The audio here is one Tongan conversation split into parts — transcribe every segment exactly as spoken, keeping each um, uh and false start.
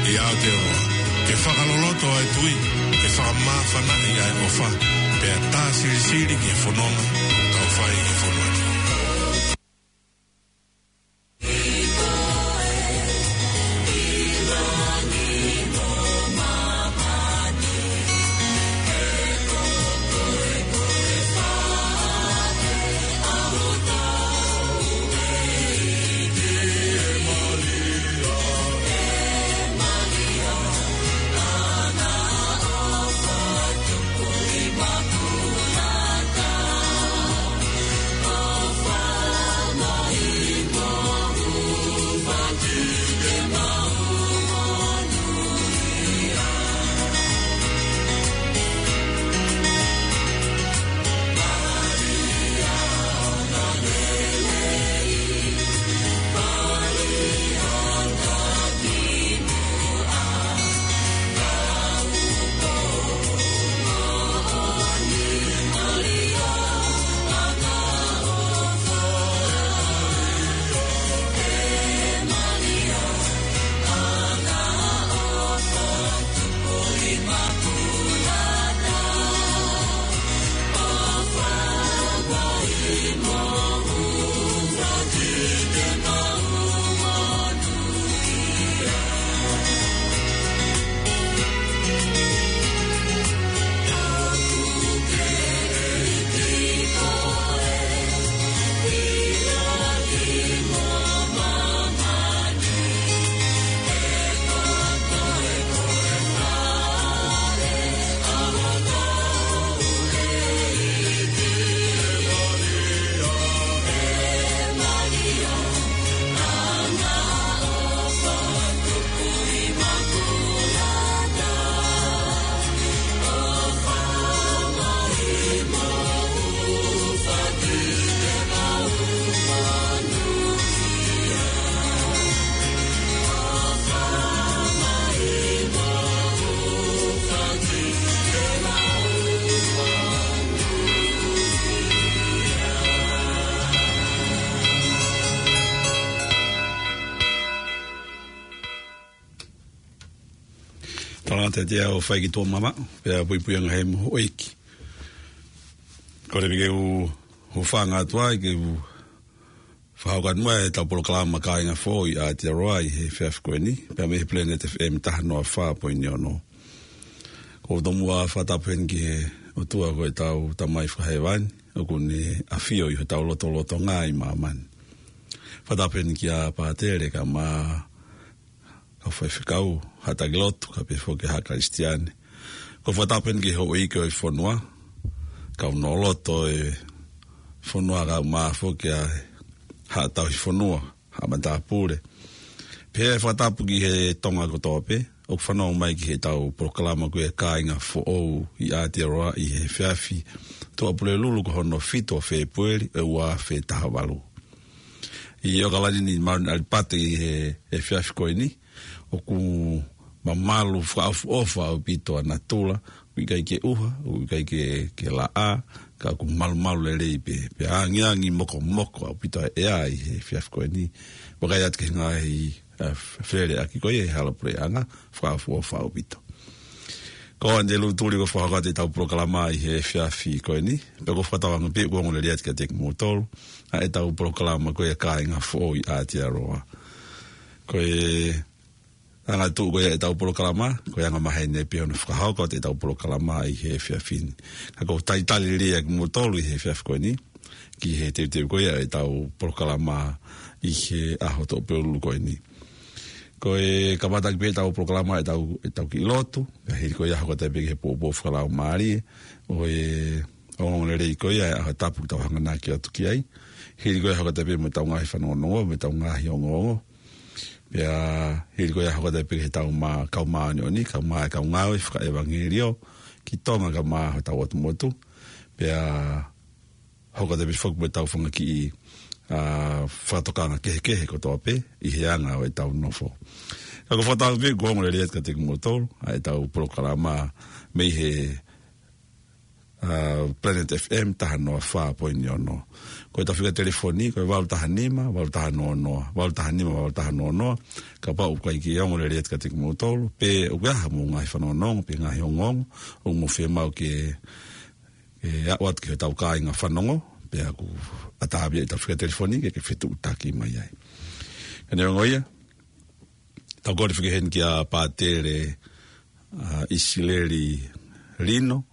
ʻI Aotearoa, ke fakaloloto ʻa e tui, ke fakamāfanaʻi ʻa e ʻofa, pea tā silisili ki he fononga ʻoku tau fai ki he fonua ni. Talangata te au fai ki tō mama, pea puipui anga he mo ʻEiki. Ko e piki u, u fanga atu ai ke u fakahoko atu mai ʻetau polokalama Kāinga Foʻou ʻi Aotearoa ʻi he efiafi ko eni, pea mei he Planet F M taha noa fā poini ono. Ko u tomuʻa fakatapu heni ki he ʻOtua ko ʻetau Tamai Fakahēvani, ʻoku ne ʻafio ʻi hotau lotolotonga ʻi māmani. Fakatapu heni kia Pātele kae ʻumaʻā kau faifekau, haʻa taki lotu, kae pehē foki haʻa Kalisitiane. Ko u fakatapu heni ki he houʻeiki ʻo e fonua, kau noloto ʻo e fonua kae ʻumaʻā foki ʻa e haʻa tauhi fonua, haʻa matāpule. Pea fakatapu ki he Tonga kotoa pē, ʻoku fanongo mai ki heʻetau polokalama ko ia Kāinga Foʻou ʻi Aotearoa ʻi he efiafi Tuʻapulelulu ko hono fitu ʻo Fēpueli ʻo e ua afe taha valu. ʻI ʻOkalani ni Maun Alipate ʻi he efiafi ko eni, ʻoku mamalu fakaʻofoʻofa ʻaupito ʻa natula, ʻoku ʻikai ke ʻuha, ʻoku ʻikai ke, ke laʻā, ka ʻoku malumalu lelei pē, pea angiangi mokomoko ʻaupito ʻa e ʻea ʻi he efiafi ko eni, vakai atu ki he ngaahi, ʻa, feleʻaki ko ia ʻi he hala puleʻanga, fakaʻofoʻofa ʻaupito. Ko Angelou Tuli ko e fakahoko atu ʻetau polokalama ʻi he efiafi ko eni, pea ko u fakatauange pē ʻoku ongo lelei atu kiate kimoutolu, ʻa ʻetau polokalama ko ia Kāinga Foʻou ʻi Aotearoa. Ko e anga tuʻu ko ia ʻetau polokalama, ko e anga maheni pē hono fakahoko atu ʻetau polokalama ʻi he efiafi ni. Ka ko u talitali lelei ʻa kimoutolu ʻi he efiafi ko eni, ki he teuteu ko ia ʻetau polokalama ʻi he ʻaho Tuʻapulelulu ko eni. Ko e kamata ki pē ʻetau polokalama ʻetau, ʻetau kiʻi lotu, pea hili ko ia hoko atu pē ki he poupou fakalaumālie, ʻo e ongoongolelei ko ia ʻa e ʻaho tapu ʻoku tau hanganaki atu ki ai. Hili ko ia hoko atu pē mo ʻetau ngaahi fanongonongo, mo ʻetau ngaahi ongoongo. Pea hili ko ia hoko atu pē ki heʻetau mā-, kau māʻoniʻoni, kau mā-, kau ngāue fakaʻevangeliō ki Tonga kae ʻumaʻā hotau ʻotu motu. Pea hoko atu pē foki mo ʻetau fanga kiʻi, ʻa, fakatokanga kehekehe kotoa pē ʻi he anga ʻo ʻetau nofo. Ka ko u fakatauange pē ʻoku ongo lelei atu kiate kimoutolu ʻa ʻetau polokalama mei he ʻa Planet F M taha noa fā poini ono. Ko ʻetau fika telefoni, ko e valu taha nima, valu taha noa noa, valu taha nima, valu taha noa noa. Kapau ʻoku ʻikai ke ongo lelei atu kiate kimoutolu, pe ʻoku ʻi ai haʻamou ngaahi fanongonongo, pe ngaahi ongoongo, ʻoku mou fiemaʻu ke, ke aʻu atu ki hotau kāinga fanongo, pea ʻoku ʻatā pē ʻetau fika telefoni ke, ke fetuʻutaki mai ai. Ka neongo ia, tau kole fika heni kia Pātele, ʻa ʻIsileli Lino,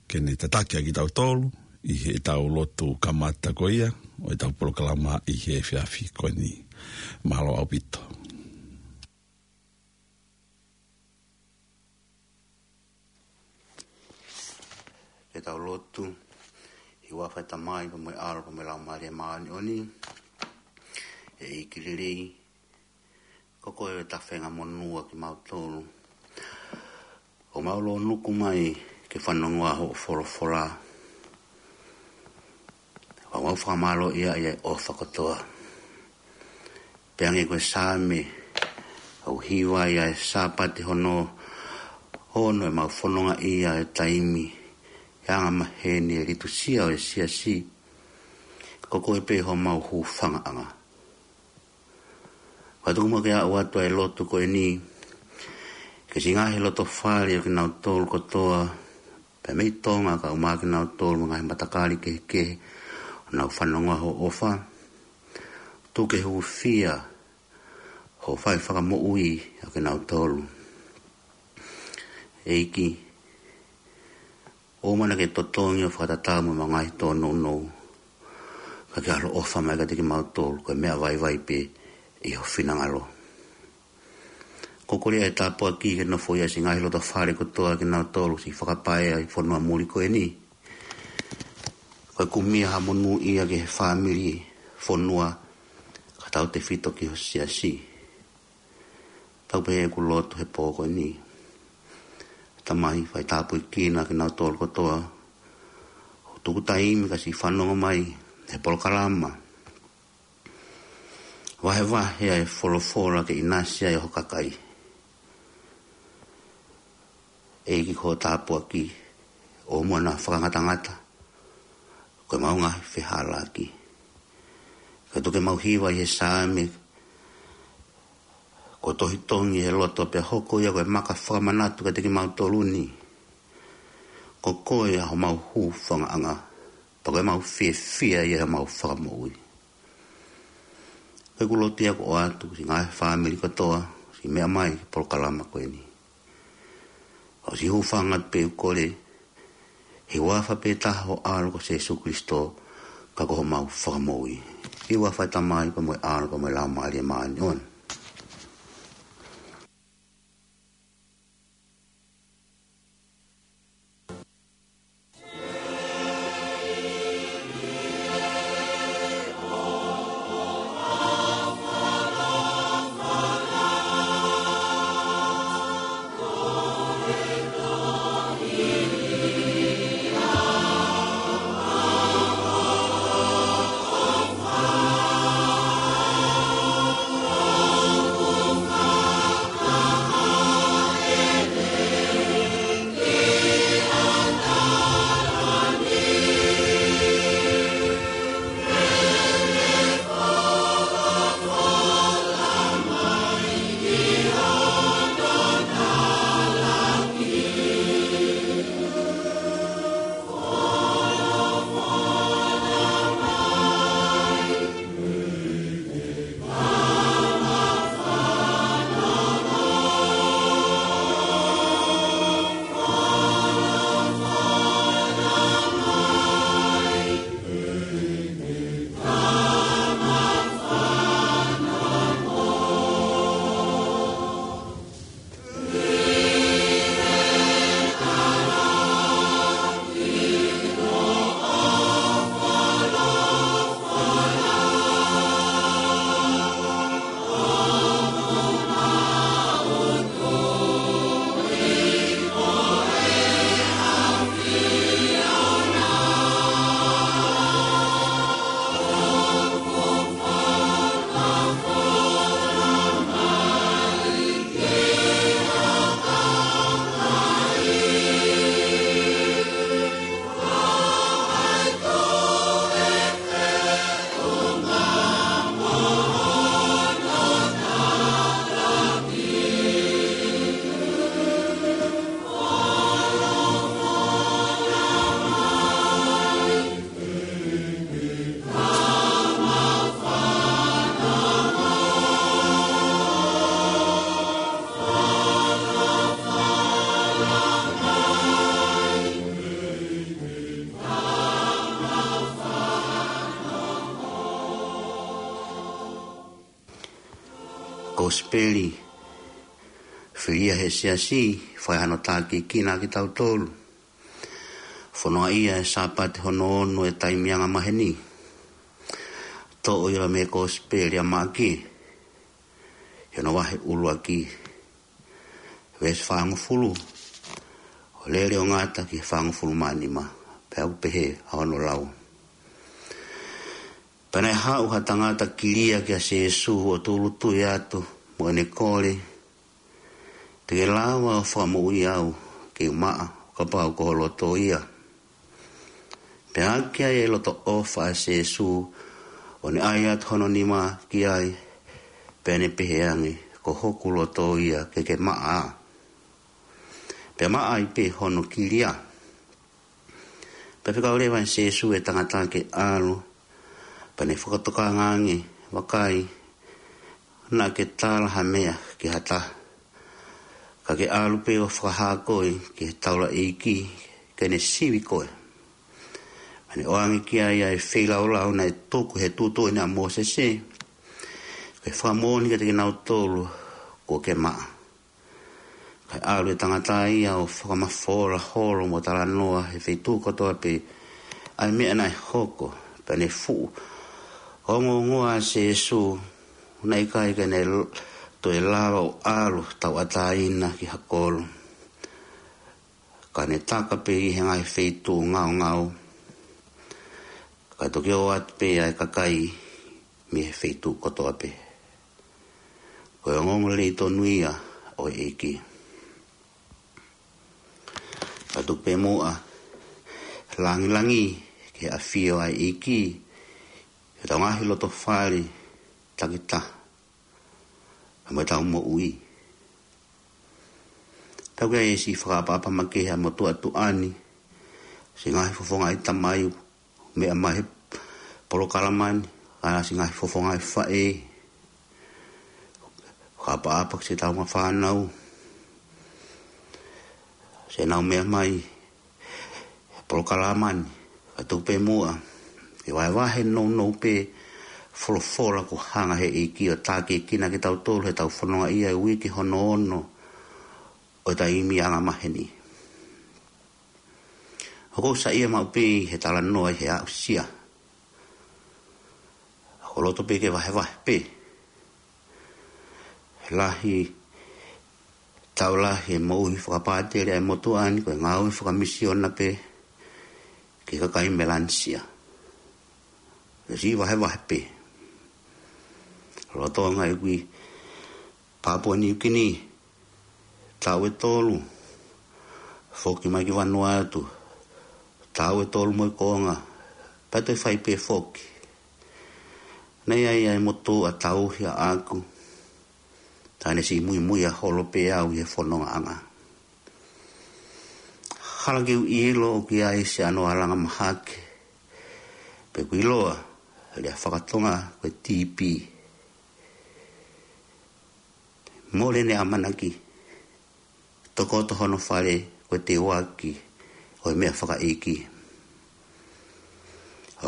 ke ne tataki ʻa kitautolu ʻi heʻetau lotu kamata ko ia ʻo ʻetau polokalama ʻi he efiafi ko eni. Mālō ʻaupito. Ke tau lotu. ʻI he huafa ʻo e Tamai, pea mo e ʻAlo, pea mo e Laumālie Māʻoniʻoni. ʻEiki lelei, ko koe ʻoku tafenga monū ʻa kimautolu. ʻOku mau lōnuku mai ke fanongoa hoʻo folofola. ʻOku mau fakamālōʻia ʻi he ʻofa kotoa. Pea hangē ko e Saame, ʻoku hiva ia ʻi he Sāpate hono ono ʻemau fononga ʻi he taimi, ʻi he anga maheni ʻo e liturisia ʻo e siasi. Ko koe pē homau hūfangaʻanga. Ka tuku muʻa ke aʻu atu ʻa e lotu ko eni ki he siʻi ngaahi loto fale ʻo kinautolu kotoa, pea mei Tonga kae ʻumaʻā kinautolu mo e ngaahi matakali kehekehe ʻoku nau fanongoa hoʻo ʻofa. Tuku ke hūfia hoʻo fai fakamoʻui ʻa kinautolu. ʻEiki, ʻoua naʻa ke totongi ʻo fakatatau mo ʻemau ngaahi tōnounou, ka ke ʻaloʻofa mai kiate kimautolu, ko e meʻa vaivai pē ʻi ho finangalo. Ko e kole ʻa e tāpuaki ke nofoʻia siʻi ngaahi loto fale kotoa kinautolu, siʻi fakapaea ʻi he fonua muli ko eni. Ko e kumi ha monūʻia ki he fāmili, fonua, kae tautefito ki ho siasi. Tau pehē ʻeku lotu he pō ko eni. Tamai, fai tāpuekina kinautolu kotoa ʻoku tuku taimi ka siʻi fanongo mai he polokalama. Vahevahe ʻa e folofola ke ʻinasi ai ho kakai. ʻEiki, ko e tāpuaki, ʻoua muʻa naʻa fakangatangata ko ʻemau ngaahi fehālaaki. Ka tuku ke mau hiva ʻi he Saame, ko e tohi tongi he loto pea hoko ia ko e maka fakamanatu kiate kimautolu ni. Ko koe ʻa homau hūfangaʻanga, pea ko ʻemau fiefia ʻi heʻemau fakamoʻui. Ko ʻeku lotu ia ʻoku ʻoatu ki he ngaahi fāmili kotoa, siʻi meʻa mai ki he polokalama ko eni. ʻOsi hūfanga atu pē ʻeku kole, he huafa pē taha ho ʻAlo ko Sēsū Kilisito, ka ko homau Fakamoʻui. ʻI he huafa ʻo e Tamai, pea mo e ʻAlo, pea mo e Laumālie Māʻoniʻoni. Kosipeli, fili ia he siasi, fai hano tākiekina kitautolu. Fononga ia e Sāpate hono ono e taimi angamaheni. Toʻo ia mei he Kosipeli ʻa Maʻake, ʻi hono vahe ʻuluaki, veesi fāngofulu, ʻo lele ʻo ngata ki he fāngofulu mā nima, pea ʻoku pehē ʻa hono lau. Pea naʻe haʻu ha tangata kilia kia Sēsū ʻo tūʻulutui atu mo ʻene kole, Te ke lava ʻo fakamoʻui au ke u maʻa, kapau ko ho loto ia. Pea ʻaki ai e loto ʻofa ʻa Sēsū, ʻo ne ʻai atu hono nima ki ai, pea ne pehē ange, Ko hoku loto ia, ke ke maʻa. Pea maʻa ai pē hono kilia. Pea fekau leva ʻe Sēsū e tangata ke ʻalu, pea ne fakatokanga ange, Vakai, naʻa ke tala ha meʻa ki ha taha, ka ke ʻalu pē ʻo fakahā koe ki he taulaʻeiki, ke ne sivi koe. Pea ne ʻoange ki ai ʻa e feilaulau naʻe tuku he tuʻutuʻuni ʻa Mōsese, ke fakamoʻoni kiate kinautolu kuo ke maʻa. Kae ʻalu e tangata ia ʻo fakamafola holo mo talanoa he feituʻu kotoa pē ʻa e meʻa naʻe hoko, pea ne fuʻu ongoongoa ʻa Sēsū, naʻe ʻikai ke ne l-, toe lava ʻo ʻalu tauʻatāina ki ha kolo. Ka ne taka pē ʻi he ngaahi feituʻu ngaongao, kae toki ō atu pē ʻa e kakai mei he feituʻu kotoa pē. Ko e ongoongolelei tonu ia ʻo e ʻEiki. Ka tuku pē muʻa, langilangi ki he ʻafio ʻa e ʻEiki, ʻi hotau ngaahi loto fale takitaha, mo ʻetau moʻui. Tau ke ai e siʻi fakaʻapaʻapa makehe ʻa e motuʻa tuʻa ni, siʻi ngaahi fofonga ʻi tamai, meʻa mai he polokalama ni, ʻa e siʻi ngaahi fofonga ʻi faʻē, fakaʻapaʻapa ki siʻetau ngaahi fānau, siʻenau meʻa mai he polokalama ni, ka tuku pē muʻa, ke vahevahe nounou pē folofola kuo hanga he ʻEiki ʻo tākiekina kitautolu heʻetau fononga ia e uike hono ono ʻo e taimi angamaheni. ʻOku ou saiʻia maʻu pē he talanoa ʻi he aʻusia. ʻOku ou loto pē ke vahevahe pē. Lahi, tau lahi e moʻui fakapātele ʻa e motuʻa ni, ko e ngāue fakamisiona pē ki he kakai Melanesia. Ke siʻi vahevahe pē. Lolotonga ʻeku ʻi Papua Niu Kini, taʻu ʻe tolu, foki mai ki Vanuatu, taʻu ʻe tolu mo e konga, pea toe fai pē foki. Naʻe ʻi ai ʻa e motuʻa tauhi ʻaʻaku, ka ne siʻi muimuiʻi holo pē au ʻi he fonongaʻanga. Hala ke u ʻilo ʻoku ʻi ai siʻano alanga mahaki, pe ʻoku ʻiloa he lea fakatonga ko e T B. Mole ʻene ʻamanaki, tokoto hono fale ko e teuaki ʻo e meʻa fakaʻeiki.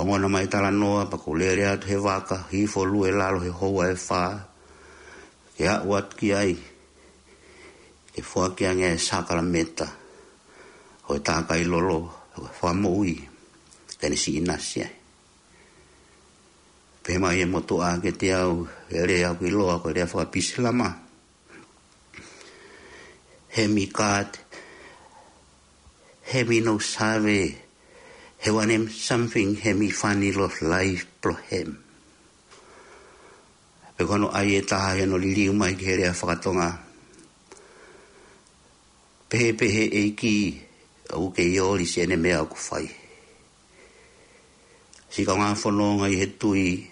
Ongona mai talanoa pea ʻoku ou lele atu he vaka, hifo lue lalo he houa ʻe fā, ke aʻu atu ki ai, ke foaki ange e sakalameta ʻo e tākai lolo, ʻo e fakamoʻui, ke ne siʻi ʻinasi ai. Pehē mai e motuʻa kiate au, e lea ʻoku ʻiloa ko e lea faka-Pisilamu. He mi kat, he mi no save, he wanem something, he mi fani lo life plo hem. Pe ko hono ʻai ʻe taha ʻi hono liliu mai ki he lea fakatonga. Pehē pē he ʻEiki, ʻoku kei ʻoli siʻene meʻa ʻoku fai. Siʻi kaungā fononga ʻi he tui,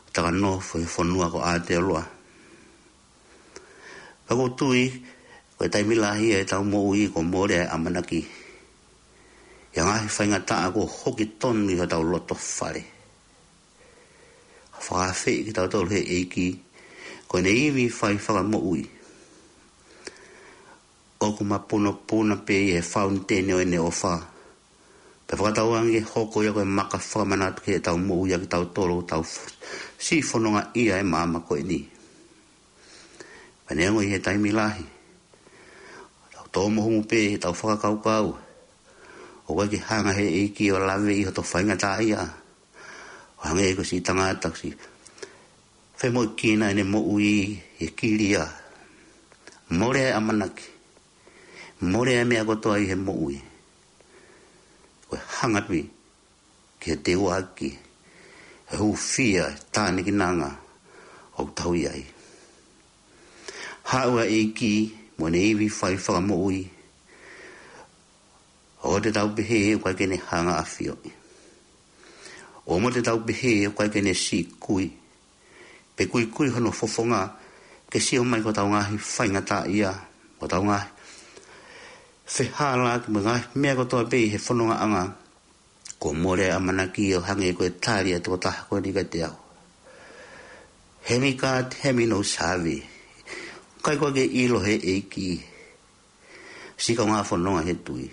takanofo he fonua ko Aotearoa. Ka ʻoku ou tui, ko e taimi lahi ʻetau moʻui kuo mole ʻa e ʻamanaki ʻi he ngaahi faingataʻa kuo hoki tonu ʻi hotau loto fale. Fakaafeʻi kitautolu he ʻEiki, ko ʻene ivi fai fakamoʻui. ʻOku mapunopuna pē ʻi he fauniteni ʻo ʻene ʻofa. Pea fakatauange ke hoko ia ko e maka fakamanatu ki heʻetau moʻui ʻa kitautolu ʻoku tau f-, siʻi fononga ʻi he maama ko eni. Pea neongo ʻi he taimi lahi, tau tō mohumu pē ʻi heʻetau fakakaukau, ʻoku ʻikai ke hanga he ʻEiki ʻo laveʻi hoto faingataʻaʻia, ʻo hangē ko e siʻi tangata kuo ʻosi femoʻuekina ʻene moʻui ʻi he kilia. Mole ʻa e ʻamanaki, mole ʻa e meʻa kotoa ʻi he moʻui. Ko e hanga pē ki he teuaki, he hūfia, tānikinanga ʻoku tau ʻi ai. Haʻu ʻa e ʻEiki mo ʻene ivi fai fakamoʻui, ʻoua te tau pehē ʻoku ʻikai ke ne hanga ʻafioʻi. ʻOua te tau pehē ʻoku ʻikai ke ne siʻi kui pe kuikui hono fofonga ke sio mai ki hotau ngaahi faingataʻaʻia, hotau ngaahi fehālaaki mo e ngaahi meʻa kotoa pē ʻi he fonongaʻanga. Kuo mole ʻa e ʻamanaki ʻo hangē ko e tali ʻa e tokotaha ko eni kiate au. Hemi God, hemi no save. ʻIkai ko e ke ʻilo he ʻEiki. Siʻi kaungā fononga he tui.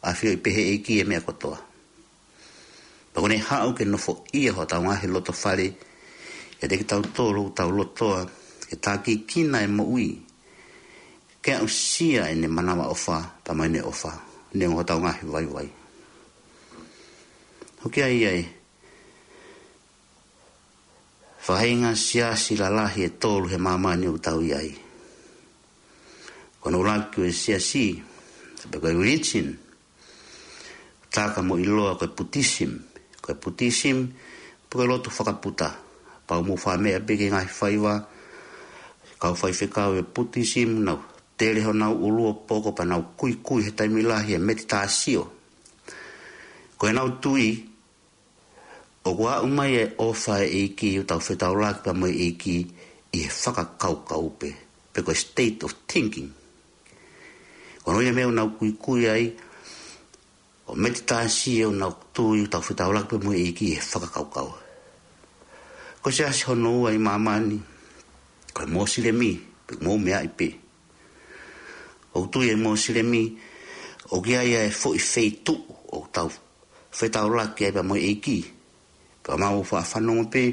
ʻAfioʻi pē he ʻEiki e meʻa kotoa. Pea ko ʻene haʻu ke nofoʻia hotau ngaahi loto fale, ʻiate kitautolu ʻoku tau lotoa ke tākiekina e moʻui, ke aʻusia ʻene manavaʻofa, pea mo ʻene ʻofa, neongo hotau ngaahi vaivai. ʻOku ʻi ai e faʻahinga siasi lalahi ʻe tolu he māmani ʻoku tau ʻi ai. Ko hono ʻuluaki ko e siasi, pe ko e religion, taka mo ʻiloa ko e Buddhism. Ko e Buddhism, pe ko e lotu fakaputa. Pea ʻoku mou faʻa meʻa pē ki he ngaahi faiva, kau faifekau ʻo e Buddhism, nau tele honau ʻulu ʻo poko pea nau kuikui he taimi lahi he meditation. Ko ʻenau tui, ʻoku aʻu mai e ʻofa ʻa e ʻEiki, ʻoku tau fetaulaki pea mo e ʻEiki ʻi he fakakaukau pē, pe ko e state of thinking. Ko hono ʻuhinga e meʻa ʻoku nau kuikui ai, ʻo meditation, ʻoku nau tui ʻoku tau fetaulaki pea mo e ʻEiki ʻi he fakakaukau. Ko e siasi hono ua ʻi māmani, ko e Mosilemi, pea mou meaʻi pē. ʻOku tui e Mosilemi, ʻoku ʻi ai e foʻi feituʻu ʻoku tau fetaulaki ai pea mo e ʻEiki. Pea mau faʻa fanongo pē,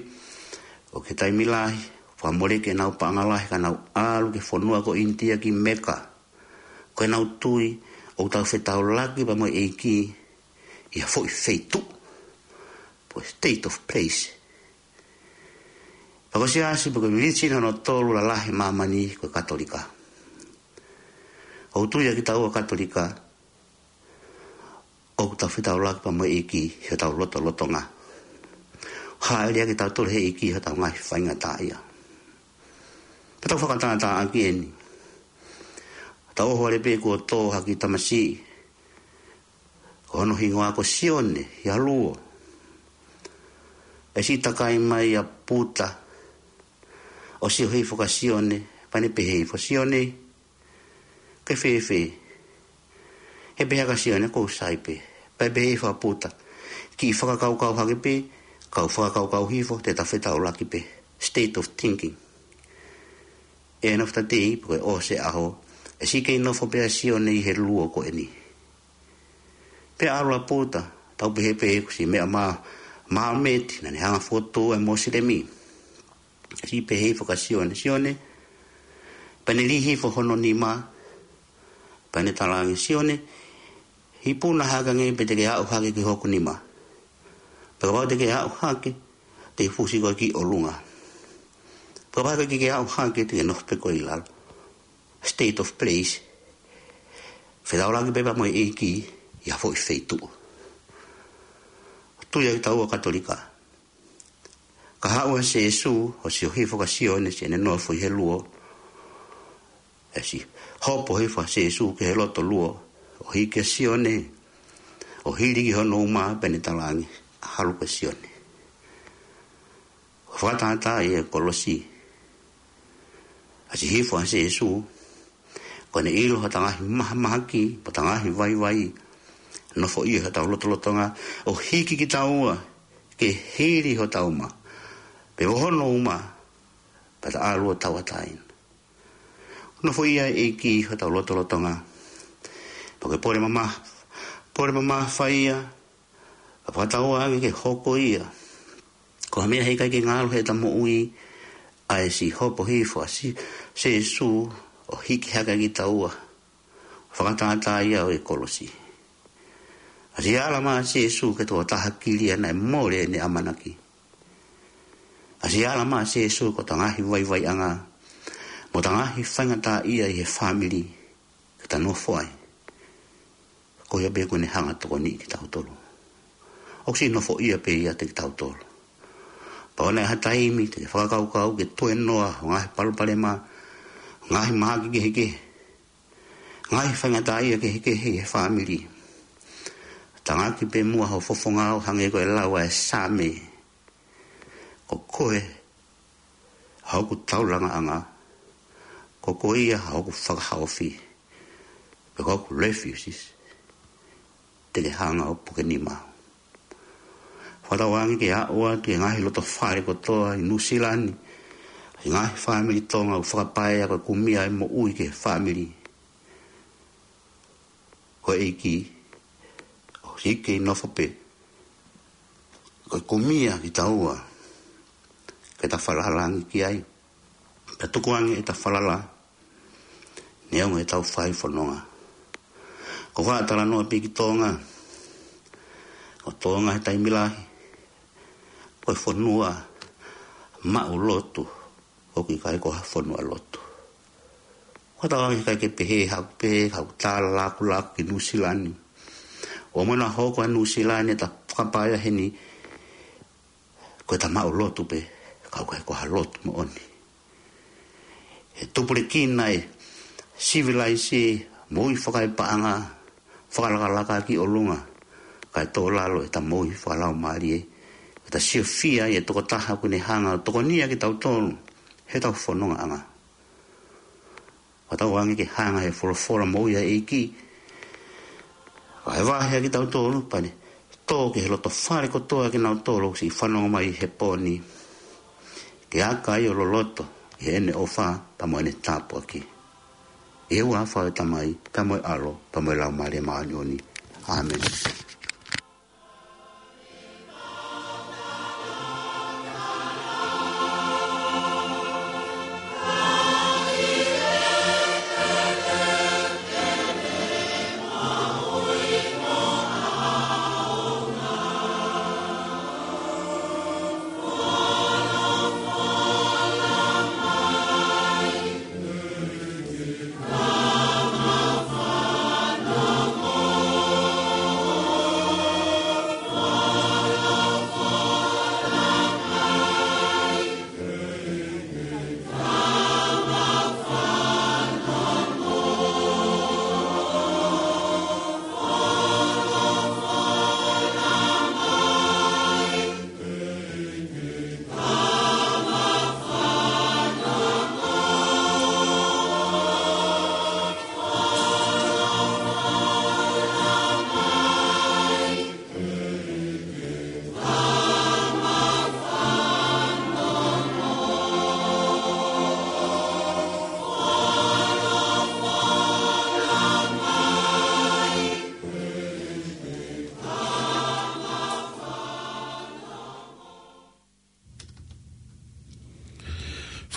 ʻoku ʻi ai e taimi lahi, fakamoleki ʻenau paʻanga lahi ka nau ʻalu ki he fonua ko ʻInitia ki Meka. Ko ʻenau tui, ʻoku tau fetaulaki pea mo e ʻEiki ʻi ha foʻi feituʻu, pe state of place. Pea ko e siasi, pe ko e religion hono tolu lalahi ʻi māmani ko e Katolika. ʻOku tui ʻa kitaua Katolika, ʻoku tau fetaulaki pea mo e ʻEiki ʻi hotau lotolotonga. Hāʻele ʻa kitautolu he ʻEiki ʻi hotau ngaahi faingataʻaʻia. Pea tau fakatātā ʻaki eni. Tau ʻohovale pē kuo tō ha kiʻi tamasiʻi, ko hono hingoa ko Sione, ʻi ha luo. ʻE siʻi takai mai ʻa Puta, ʻo sio hifo kia Sione, pea ne pehē hifo, Sione, ʻoku ke fēfē? ʻE pehē ʻa Sione, ʻoku ou sai pē. Pea pehē hifo ʻa Puta, kiʻi fakakaukau hake pē, kau fakakaukau hifo, te ta fetaulaki pē. State of thinking. End of the day, pe ko e ʻosi e ʻaho, ʻe siʻi kei nofo pē ʻa Sione ʻi he luo ko eni. Pea ʻalu ʻa Puta, tau pehē pē ʻoku siʻi meʻa mā, māmeti, naʻa ne hanga ʻo fokotuʻu e Mosilemi. Siʻi pehē hifo kia Sione, Sione, pea ne lī hifo hono nima, pea ne talaange, Sione, hipuna hake ange pea te ke aʻu hake ki hoku nima. Pea kapau te ke aʻu hake, te u fusi koe ki ʻolunga. Pea kapau ʻoku ʻikai ke ke aʻu hake, te ke nofo pē koe ʻi lalo. State of place. Fetaulaki pē pea mo e ʻEiki ʻi ha foʻi feituʻu. Tui ʻa kitaua Katolika. Ka haʻu ʻa Sēsū, ʻo sio hifo kia Sione, siʻene nofo ʻi he luo. ʻE siʻi hopo hifo ʻa Sēsū ki he loto luo, ʻo hiki ʻa Sione, ʻo hili ki hono uma, pea ne talaange, ʻalu koe Sione. ʻO fakatātā ʻi he kolosi. ʻA siʻi hifo ʻa Sēsū, ko ʻene ʻilo hotau ngaahi mahamahaki, mo hotau ngaahi vaivai, nofoʻia hotau lotolotonga, ʻo hiki kitaua ke hili hotau uma, pe ko hono uma, pea ta ʻalu ʻo tauʻatāina. Nofoʻia e ʻEiki hotau lotolotonga. Pea ko e pole mamafa, pole mamafa ia, ka fakatauange ke hoko ia ko ha meʻa heʻikai ke ngalo heʻeta moʻui, ʻa e siʻi hopo hifo ʻa Si-, Sēsū ʻo hiki hake kitaua, fakatātā ia ʻo e kolosi. ʻA siʻi ala mai ʻa Sēsū ki he tokotaha kilia naʻe mole ʻene ʻamanaki. ʻA siʻi ala mai ʻa Sēsū ko ʻeta ngaahi vaivaiʻanga mo ʻeta ngaahi faingataʻaʻia ʻi he fāmili ke ta nofo ai. Ko ia pē kuo ne hanga ʻo tokoniʻi kitautolu. ʻOku siʻi nofoʻia pē ia ʻiate kitautolu. Pea ʻoua naʻa ʻi ai ha taimi te ke fakakaukau ke tuenoa ho ngaahi palopalema, ngaahi mahaki kehekehe, ngaahi faingataʻaʻia kehekehe ʻi he fāmili. Tangaki pē muʻa ho fofonga ʻo hangē ko e lau ʻa e Saame: Ko koe ʻa hoku taulaʻanga, ko koe ia ʻa hoku fakahaofi, pe ko hoku refuge, te ke hanga ʻo puke nima. Fakatauange ke aʻu atu ki he ngaahi loto fale kotoa ʻi Nuʻusila ni, ʻa e ngaahi fāmili Tonga ʻoku fakapaea ko e kumi ʻa e moʻui ki he fāmili. Ko e ʻEiki ʻoku siʻi kei nofo pē ko e kumi ʻa kitaua ke ta falala ange ki ai, pea tukuange ʻeta falala neongo ʻetau fai fononga. ʻOku ou faʻa talanoa pē ki Tonga. Ko Tonga he taimi lahi ko e fonua maʻu lotu, ʻoku ʻikai ko ha fonua lotu. Fakatauange ʻikai ke pehē haʻaku pehē, haʻaku talalakulakula ki Nuʻusila ni. ʻO mo na hoko ʻa Nuʻusila ni ʻeta fakapaea heni ko ʻeta maʻu lotu pē, ka ʻoku ʻikai ko ha lotu moʻoni. ʻE tupulekina e sivilaise, moʻui fakaepaʻanga, fakalakalaka ki ʻolunga, kae tō lalo ʻeta moʻui fakalaumālie, ʻeta siofia ʻi he tokotaha kuo ne hanga ʻo tokoniʻi kitautolu heʻetau fonongaʻanga. Fakatauange ke hanga ʻe he folofola moʻui ʻa e ʻEiki ʻo vahevahe kitautolu, pea ne tō ki he loto fale kotoa kinautolu ʻoku siʻi fanongo mai he pō ni, ke aka ai ʻo loloto ʻi heʻene ʻofa pea mo ʻene tāpuaki. ʻI he huafa ʻo e Tamai, pea mo e ʻAlo, pea mo e Laumālie Māʻoniʻoni. ʻĀmeni.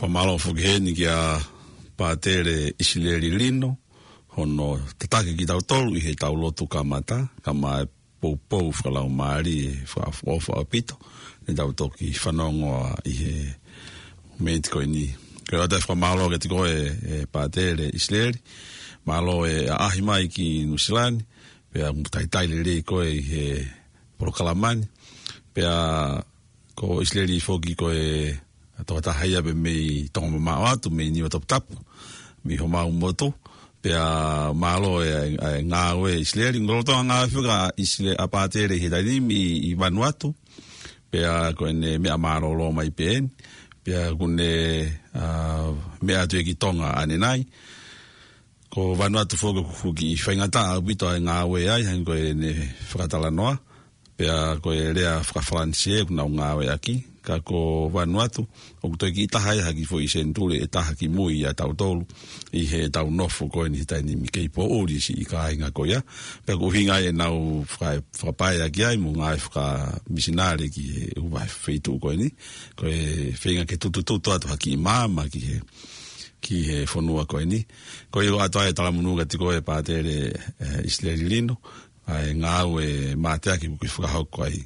Fakamālō foki heni kia Pātele ʻIsileli Lino, hono tataki kitautolu ʻi heʻetau lotu kamata, kae ʻumaʻā e poupou fakalaumālie, fakaʻofoʻofa ʻaupito, ne tau toki fanongoa ʻi he miniti ko eni. Ko ia ʻoatu e fakamālō kiate koe, ʻe Pātele ʻIsileli, mālō e ʻaʻahi mai ki Nuʻusila ni, pea ʻoku talitali lelei koe ʻi he polokalama ni. Pea ko ʻIsileli foki ko e tokotaha ia pē mei Tonga mamaʻo atu, mei Niuatoputapu, mei homau motu. Pea mālō e, e ngāue ʻa ʻIsileli, lolotonga ngāue foki ʻa ʻIsile-, ʻa Pātele ʻi he taimi ni ʻi, ʻi Vanuatu. Pea ko ʻene meʻa mālōlō mai pē eni. Pea kuo ne, ʻa, meʻa atu ia ki Tonga ʻanenai. Ko Vanuatu foki ʻoku kiʻi faingataʻa ʻaupito ʻa e ngāue ai, hangē ko ʻene fakatalanoa. Pea ko e lea faka-Falanisē ʻoku nau ngāueʻaki. Ka ko Vanuatu, ʻoku toe kiʻi taha ia ha kiʻi foʻi senituli ʻe taha ki mui ʻia tautolu, ʻi heʻetau nofo ko eni he taimi ni kei poʻuli siʻi kāinga ko ia. Pea ko e ʻuhinga ia ʻenau faka-, fakapaeʻaki ai mo e ngaahi fakamisinale ki he ʻū vahe feituʻu ko eni. Ko e feinga ke tutututu atu ha kiʻi maama ki he, ki he fonua ko eni. Ko ia ʻoatu ai e talamonū kiate koe Pātele, eh, ʻIsileli Lino, ʻa e ngāue mateaki ʻoku ke fakahoko ai.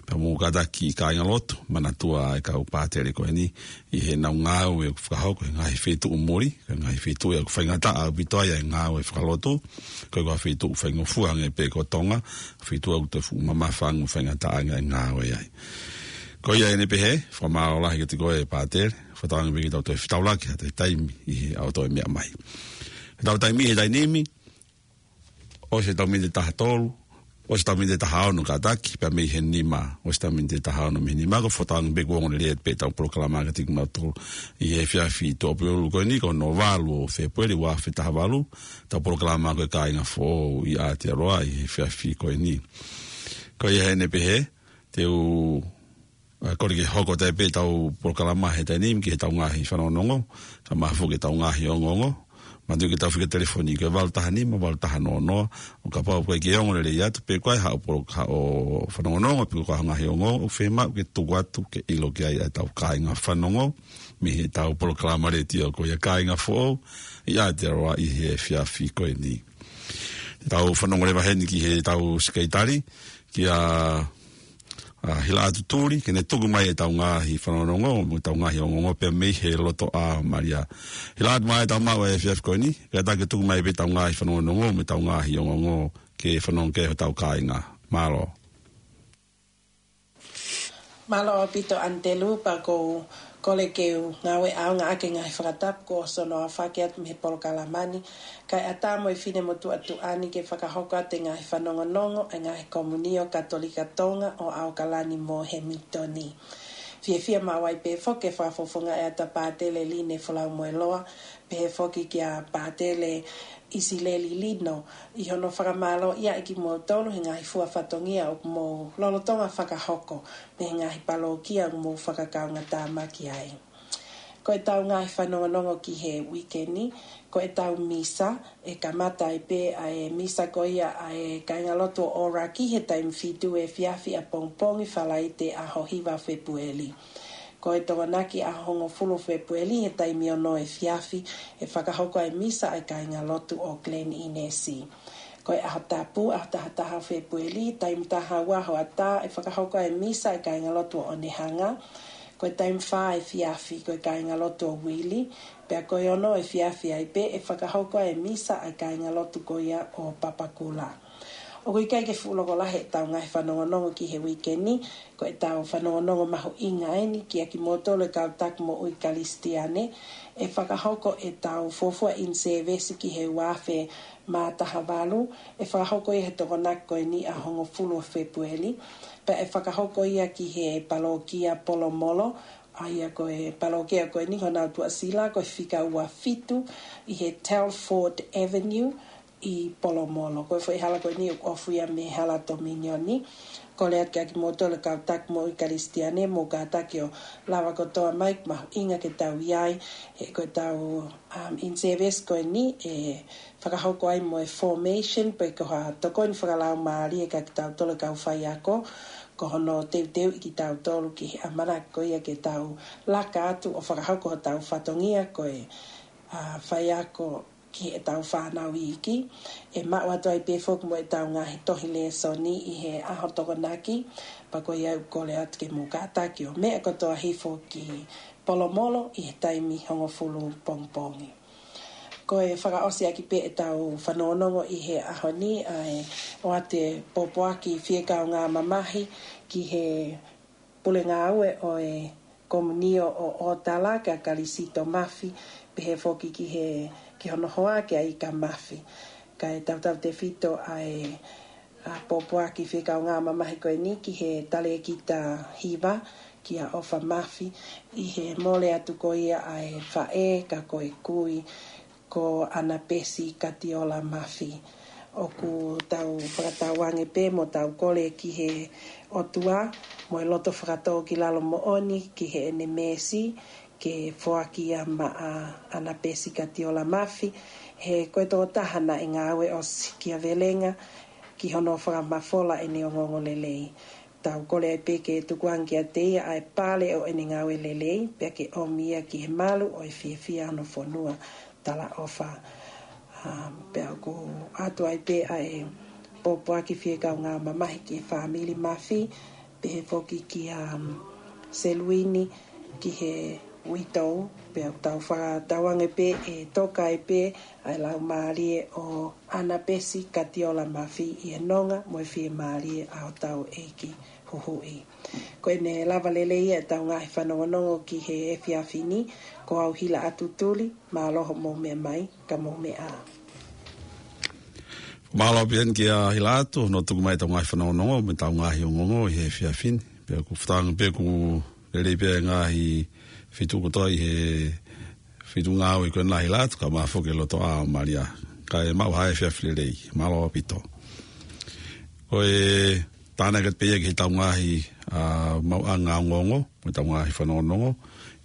Pea mou kātaki kāingalotu, manatua e kau pātele ko eni, ʻi heʻenau ngāue ʻoku fakahoko he ngaahi feituʻu muli, he ngaahi feituʻu ia ʻoku faingataʻa ʻaupito ai e ngāue fakalotu, ko e kau feituʻu faingofua hangē pē ko Tonga, feituʻu ʻoku toe fuʻu mamafa ange mo faingataʻa ange e ngāue ai. Ko ia ʻeni pehē, fakamālō lahi kiate koe Pātele, fakatauange pē ke tau toe fetaulaki ha toe taimi ʻi he ʻaho toe meʻa mai. He tau taimi he taimi ni, ʻosi ʻetau miniti ʻe taha tolu, ʻosi ʻetau miniti ʻe taha ono kātaki, pea mei he nima, ʻosi ʻetau miniti ʻe taha ono mei he nima, ko e fakatauange pē kuo ongo lelei pē ʻetau polokalama kiate kimoutolu. ʻI he efiafi Tuʻapulelulu ko eni, ko hono valu ʻo Fēpueli ua afe taha valu, ʻetau polokalama ko e Kāinga Foʻou ʻi Aotearoa, ʻi he efiafi ko eni. Ko ia ʻeni pehē, te u ʻa, kole ke hoko atu pē ʻetau polokalama he taimi ni ki heʻetau ngaahi fanongonongo, ka mahalo foki ʻetau ngaahi ongoongo. Manatuʻi ke tau fika telefoni ki he valu taha nima, valu taha noa noa, ʻo kapau ʻoku ʻikai ke ongo lelei atu, pe ko e hā haʻo polo-, haʻo fanongonongo, pe ko e hā haʻo ngaahi ongoongo, ʻoku fiemaʻu ke tuku atu, ke ʻilo ki ai ʻa ʻetau kāinga fanongo, mei heʻetau polokalama letiō ko ia Kāinga Foʻou, ʻi Aotearoa ʻi he efiafi ko eni. Tau fanongo leva heni ki heʻetau sikeitali, kia, ʻa, Hilaʻatu Tuli, ke ne tuku mai ʻetau ngaahi fanongonongo, mo ʻetau ngaahi ongoongo pea mei he loto ʻa Malia. Hilaʻatu, mālō e maʻu e efiafi ko eni, kātaki tuku mai pē ʻetau ngaahi fanongonongo, mo ʻetau ngaahi ongoongo, ke fanongo ki ai hotau kāinga. Mālō. Mālō ʻaupito ʻAnitelū, pea ʻoku ou kole ke u ngāue ʻaonga ʻaki e ngaahi fakatapu kuo ʻosi hono aofaki atu mei he polokalama ni, kae ʻatā mo e finemotuʻa tuʻa ni ke fakahoko atu e ngaahi fanongonongo ʻa e ngaahi Komiunio Katolika Tonga ʻo ʻAokalani mo Hemingitoni. Fiefia maʻu ai pē foki ke fakafofongaʻi atu ʻa Pātele Line Folaumoeloa, pehē foki kia Pātele ʻIsileli Lino, ʻi hono fakamālōʻia ʻaki kimoutolu he ngaahi fua fatongia ʻoku mou lolotonga fakahoko, mei he ngaahi palōkia ʻoku mou fakakaungātāmaki ai. Ko ʻetau ngaahi fanongonongo ki he uike ni, ko ʻetau misa, ʻe kamata ai pē ʻa e misa ko ia ʻa e Kāingalotu ʻo ʻOraki he taimi fitu efiafi ʻapongipongi Falaite ʻaho hiva Fēpueli. Ko e Tokonaki ʻaho hongofulu Fēpueli he taimi ono efiafi, ʻe fakahoko ai e misa ʻa e Kāingalotu ʻo Glen Innes. Ko e ʻAho Tapu, ʻaho taha taha Fēpueli, taimi taha ua hoʻatā, ʻe fakahoko ai e misa ʻa e Kāingalotu ʻo ʻOnehunga. Ko e taimi fā efiafi, ko e Kāingalotu ʻo Wheelie, pea ko e ono efiafi ai pē, ʻe fakahoko ai e misa ʻa e Kāingalotu ko ia ʻo Papakura. ʻOku ʻikai ke fuʻu loko lahi ʻetau ngaahi fanongonongo ki he uike ni, ko ʻetau fanongonongo mahuʻinga ʻeni kia kimoutolu e kau taki moʻui Kalisitiane, ʻe fakahoko ʻetau fuofua in service ki he ua afe mā taha valu, ʻe fakahoko ia he Tokonaki ko eni ʻaho hongofulu ʻo Fēpueli, pea ʻe fakahoko ia ki he palōkia Polomolo, ʻa ia ko e palōkia ko eni honau tuʻasila ko e fika ua fitu ʻi he Telford Avenue, ʻi Polomolo. Ko e foʻi hala ko eni ʻoku ʻofa ia mei he hala Tominioni. Kole atu kia kimoutolu e kau taki moʻui Kalisitiane, mou kātaki ʻo lava kotoa mai, mahuʻinga ke tau ʻi ai, he ko ʻetau, um, in service ko eni, ʻe fakahoko ai mo e formation, pe ko ha tokoni fakalaumālie kia kitautolu e kau faiako, ko hono teuteuʻi kitautolu ki he ʻamanaki ko ia ke tau laka atu ʻo fakahoko hotau fatongia ko e, uh, faiako ki heʻetau fānau iiki, ʻe maʻu atu ai pē foki mo ʻetau ngaahi tohi lēsoni ʻi he ʻaho Tokonaki, pea ko ia ʻoku kole atu ke mou kātaki ʻo meʻa kotoa hifo ki Polomolo ʻi he taimi hongofulu pongipongi. Ko e fakaʻosi ʻaki pē ʻetau fanongonongo ʻi he ʻaho ni, ʻa e ʻoatu e pōpoaki fiekaungāmamahi ki he pule ngāue ʻo e Komiunio ʻo ʻOtala kia Kalisito Mafi, pehē foki ki he, ki hono hoa kia Ika Mafi. Kae tautautefito ʻa e, ʻa, pōpoaki fiekaungāmamahi ko eni ki he talēkita hiva kia ʻOfa Mafi, ʻi he mole atu ko ia ʻa e faʻē ka ko e kui ko ʻAnapesi Katiola Mafi. ʻOku tau fakatauange pē mo tau kole ki he ʻOtua, mo e loto fakatōkilalo moʻoni ki heʻene meesi, ke foaki ia maʻa ʻAnapesi Katiola Mafi, he ko e tokotaha naʻe ngāue ʻosi kia Velenga, ki hono fakamafola ʻene ongoongolelei. Tau kole ai pē ke tukuange kiate ia ʻa e pale ʻo ʻene ngāue lelei, pea ke ʻomi ia ki he malu ʻo e fiefia hono fonua talaʻofa. Um, pea ʻoku ʻoatu ai pē ʻa e pōpoaki fie kaungā mamahi ki he fāmili Mafi, pehē foki kia, um, Seluini ki he uitou, pea ʻoku tau fakatauange pē ʻe toka ai pē ʻa e laumālie ʻo ʻAnapesi Katiola Mafi ʻi he nonga mo e fiemālie ʻa hotau ʻEiki Huhuʻi. Ko ʻene lava lelei ia ʻetau ngaahi fanongonongo ki he efiafi ni, ko au Hilaʻatu Tuli, mālō hoʻomou meʻa mai, ka mou meʻa ā. Mālō pē eni kia Hilaʻatu, hono tuku mai ʻetau ngaahi fanongonongo, mo ʻetau ngaahi ongoongo ʻi he efiafi ni. Pea ʻoku fakatauange pē ʻoku lelei pē ʻa e ngaahi feituʻu kotoa ʻi he feituʻu ngāue ko ena Hilaʻatu, kae ʻumaʻā foki e lotoʻā ʻo Malia. Kae maʻu ha efiafi lelei, mālō ʻaupito. Ko e tānaki atu pē ia ki heʻetau ngaahi, ā, maʻuʻanga ongoongo, mo ʻetau ngaahi fanongonongo,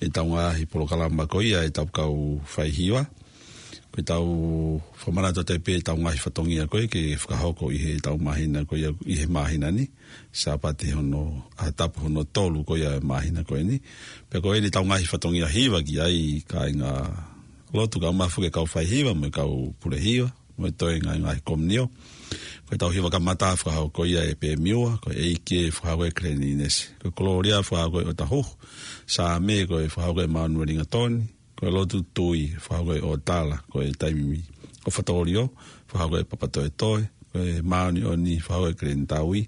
ʻetau ngaahi polokalama ko ia ʻetau kau faihiva. Ko ʻetau fakamanatu atu pē ʻetau ngaahi fatongia ko ē ke fakahoko ʻi heʻetau māhina ko ia ʻi he māhina ni, Sāpate hono, ʻAho Tapu hono tolu ko ia ʻo e māhina ko eni. Pea ko eni ʻetau ngaahi fatongia hiva ki ai kāinga lotu kae ʻumaʻā foki e kau faihiva, mo e kau pule hiva, mo e toenga ʻi he ngaahi komiunio. Ko ʻetau hiva kamata fakahoko ia ʻe Pemiua, ko e ʻEiki ē fakahoko ʻe Keleni ʻInesi. Ko e Kolōlia fakahoko ʻe ʻOtahuhu. Saame ko e fakahoko ʻe Manueli Ngatoni. Ko e Lotu Tui fakahoko ʻe ʻOtala. Ko e Taimi ʻo Fatōlio fakahoko ʻe Papatoetoe. Ko e Māʻoniʻoni fakahoko ʻe Keleni Taui.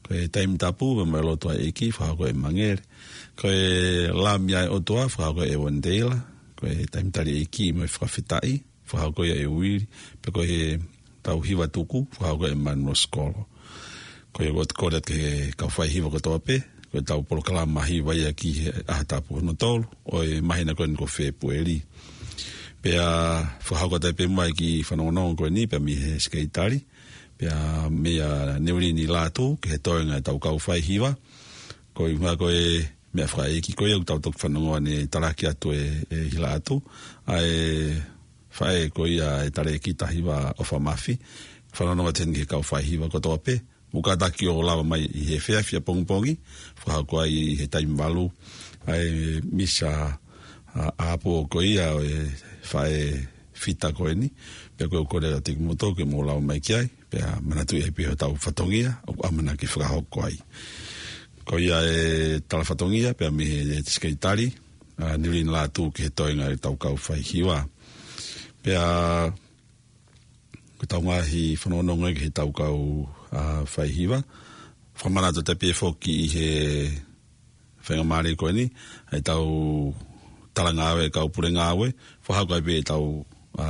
Ko e Taimi Tapu mo e Lotu ʻa e ʻEiki fakahoko ʻe Mangele. Ko e Lami ʻa e ʻOtua fakahoko ʻe Wandeila. Ko e Taimi Tali ʻEiki mo e Fakafetaʻi fakahoko ia ʻe Uili, pea ko ʻetau hiva tuku, fakahoko ʻe Manuel Sikolo. Ko ia ʻoku ou kole atu ki he kau faihiva kotoa pē, ko ʻetau polokalama hiva ia ki he ʻAho Tapu hono tolu ʻo e māhina ko eni ko Fēpueli. Pea fakahoko atu pē muʻa e kiʻi fanongonongo ko eni pea mei he Sekelitali, pea meia Niulini Lātū, ki he toenga ʻetau kau faihiva. Ko e ʻuhinga ko e meʻa fakaʻeiki ko ia ʻoku tau toki fanongo ʻanenai, talaki atu ʻe, ʻe Hilaʻatu, ʻa e faʻē ko ia ʻa e talēkita hiva ʻOfa Mafi, fanongo atu heni ki he kau faihiva kotoa pē, muʻa kātaki ʻo lava mai ʻi he efiafi ʻapongipongi, fakahoko ai ʻi he taimi valu, ʻa e misa ʻa, ʻapō ko ia ʻo e faʻē fita ko eni, pea ko e kole atu kiate kimoutolu ke mou lava mai ki ai, pea manatuʻi ai pē hotau fatongia, ʻoku ʻamanaki fakahoko ai. Ko ia e tala fatongia, pea mei he Sekelitali, ʻa, Niulini Lātū ki he toenga ʻetau kau faihiva. Pea ko ʻetau ngaahi fanongonongo ki heʻetau kau, ʻa, faihiva. Fakamanatu atu pē foki ʻi he faingamālie ko eni, ʻetau talangāue, kau pule ngāue, fakahoko ai pē ʻetau, ʻa,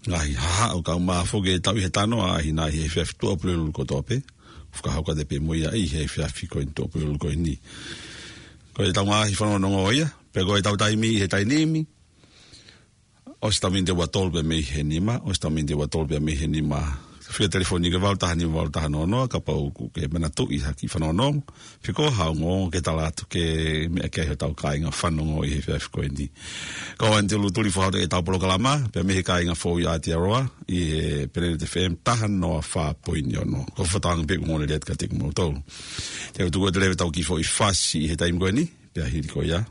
ngaahi hahaʻo kae ʻumaʻā foki ʻetau ʻi he tano ʻa hina ʻi he efiafi Tuʻapulelulu kotoa pē, fakahoko atu pē mo ia ʻi he efiafi ko eni Tuʻapulelulu ko eni. Ko ʻetau ngaahi fanongonongo ia, pea ko ʻetau taimi ʻi he taimi ni, ʻosi ʻetau miniti ʻe ua tolu pē mei he nima, ʻosi ʻetau miniti ʻe ua tolu pē mei he nima. Fika telefoni ki he valu taha nima valu taha noa noa, kapau ʻoku ke manatuʻi ha kiʻi fanongonongo, pe ko ha ongoongo ke tala atu ke meʻa ki ai hotau kāinga fanongo ʻi he efiafi ko eni. Ko au Anitolu Tuli fakahoko ʻetau polokalama, pea mei he kāinga foʻou ʻi Aotearoa, ʻi he Planet F M taha noa fā poini ono. Ko e fakatauange pē ʻoku ongoongolelei atu kiate kimoutolu. Te u tuku atu leva ʻetau kiʻi foʻi fasi ʻi he taimi ko eni, pea hili ko ia,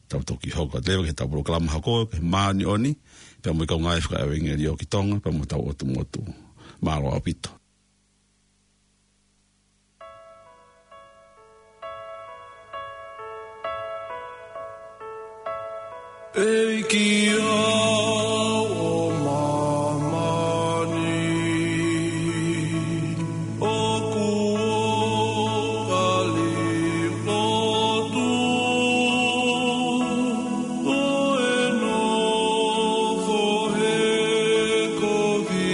tau toki hoko atu leva ki heʻetau polokalama hoko, ki he māʻoniʻoni, pea mo e kau ngāue fakaʻevangeliō ki Tonga, pea mo hotau ʻotu motu. Mālō ʻaupito. ʻEiki ʻo māmani, ʻoku ou kole lotu, ʻo e nofo he kovi.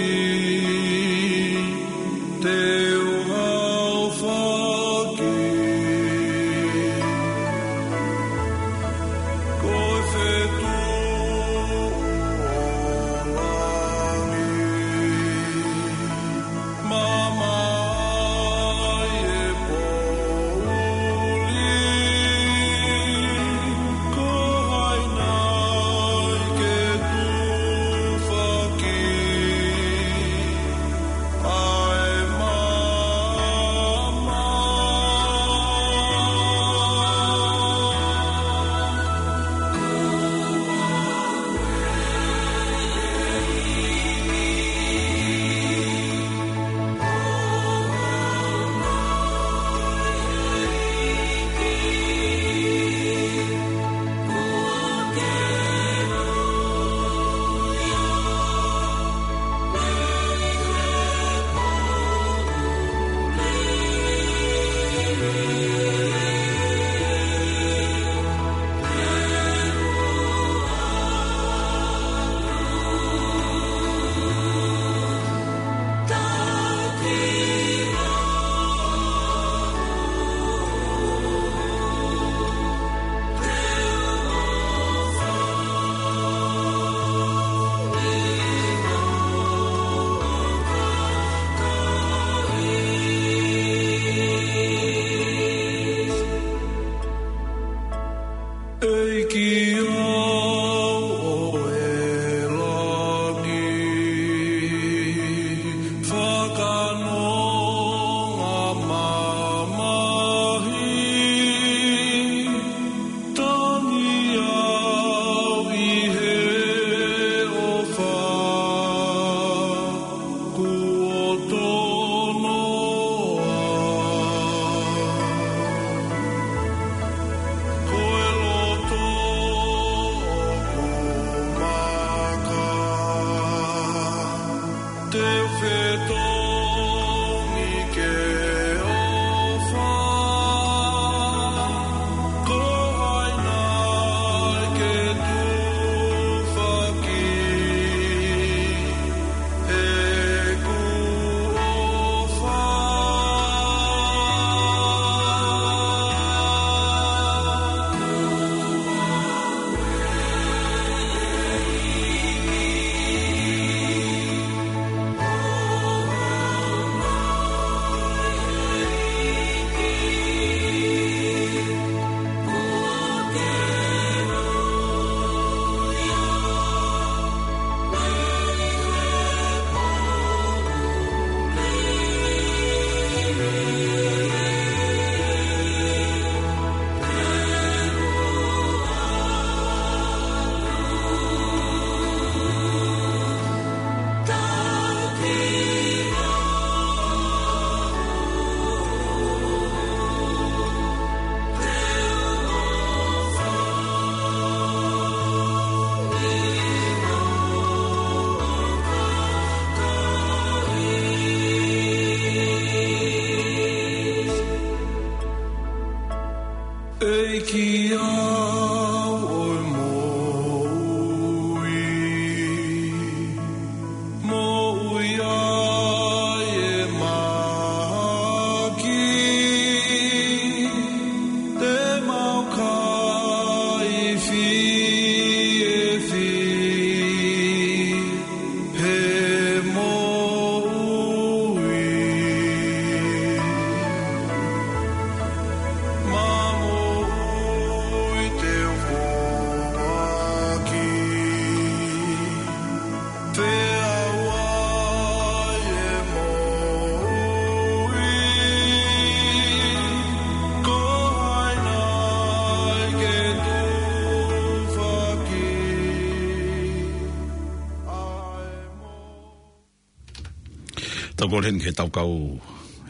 Tau kole heni ki he tau kau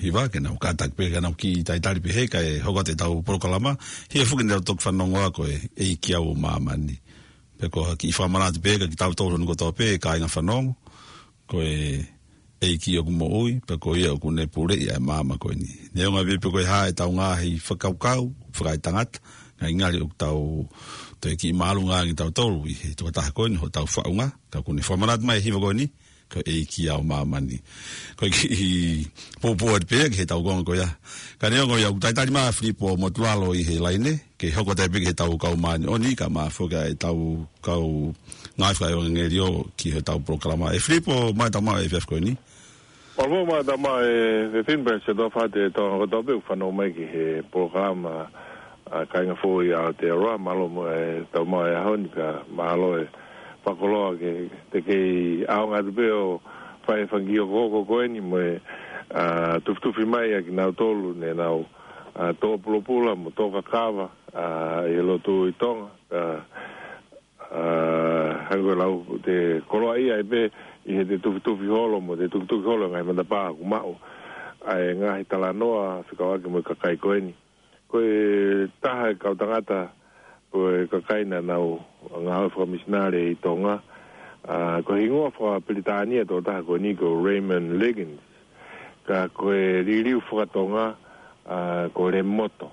hiva, ke nau kātaki pē, ke nau kiʻi talitali pē he, kae hoko atu e tau polokalama, hili foki ʻetau toki fanongo ko e ʻEiki ʻo Māmani. Pea ko e kiʻi fakamanatu pē, ka kitautolu hono kotoa pē, kāinga fanongo, ko e ʻEiki ʻoku moʻui, pea ko ia ʻoku ne puleʻi ʻa e māmani ko eni. Neongo pē pe ko e hā e tau ngaahi fakakaukau, fakaetangata, ngaahi ngali ʻoku tau, toe kiʻi māʻolunga ange tautolu, ʻi he tokotaha ko eni, hotau faʻunga, ka ʻoku ne fakamanatu mai e hiva ko eni, ko e ʻEiki ʻo Māmani. Ko e kiʻi pōpō atu pē ki he tau konga ko ia. Ka neongo ia ʻoku talitali mai ʻa Filipo Motuʻalo ʻi he laine, ke hoko atu pē ki he tau kau māʻoniʻoni, ka mafuli ʻa e tau kau ngāue fakaʻevangeliō ki he tau polokalama. ʻE Filipo, mālō e tau mai e efiafi ko eni. Mālō, mālō e tau mai e efiafi ni pea ʻoatu ʻa e fakamālō atu ki he tau kotoa pē ʻoku fanongo mai ki he polokalama, ʻa kāinga foʻou ʻi Aotearoa, mālō mo e tau mai e ʻaho ni pea mālō e fakakoloa ke te kei ʻaonga atu pē ʻo fai e fanga kiʻi hokohoko ko eni mo e, ʻa, tufitufi mai ʻa kinautolu ne nau, ʻa, tō pulopula mo tō kakava, ʻa, ʻi he lotu ʻi Tonga, ʻa, ʻa, hangē ko e lau te koloaʻia ai pē ʻi he te tufitufi holo mo te tukituki holo e ngaahi matapā ʻoku maʻu ʻa e ngaahi talanoa fekauʻaki mo e kakai ko eni. Ko e taha e kau tangata, ko e kakai naʻa nau ngāue fakamisinale ʻi Tonga. ʻA, ko e hingoa fakapilitānia ʻo e tokotaha ko eni ko Raymond Liggins. Ka ko e liliu fakatonga, ʻa, ko Lemoto.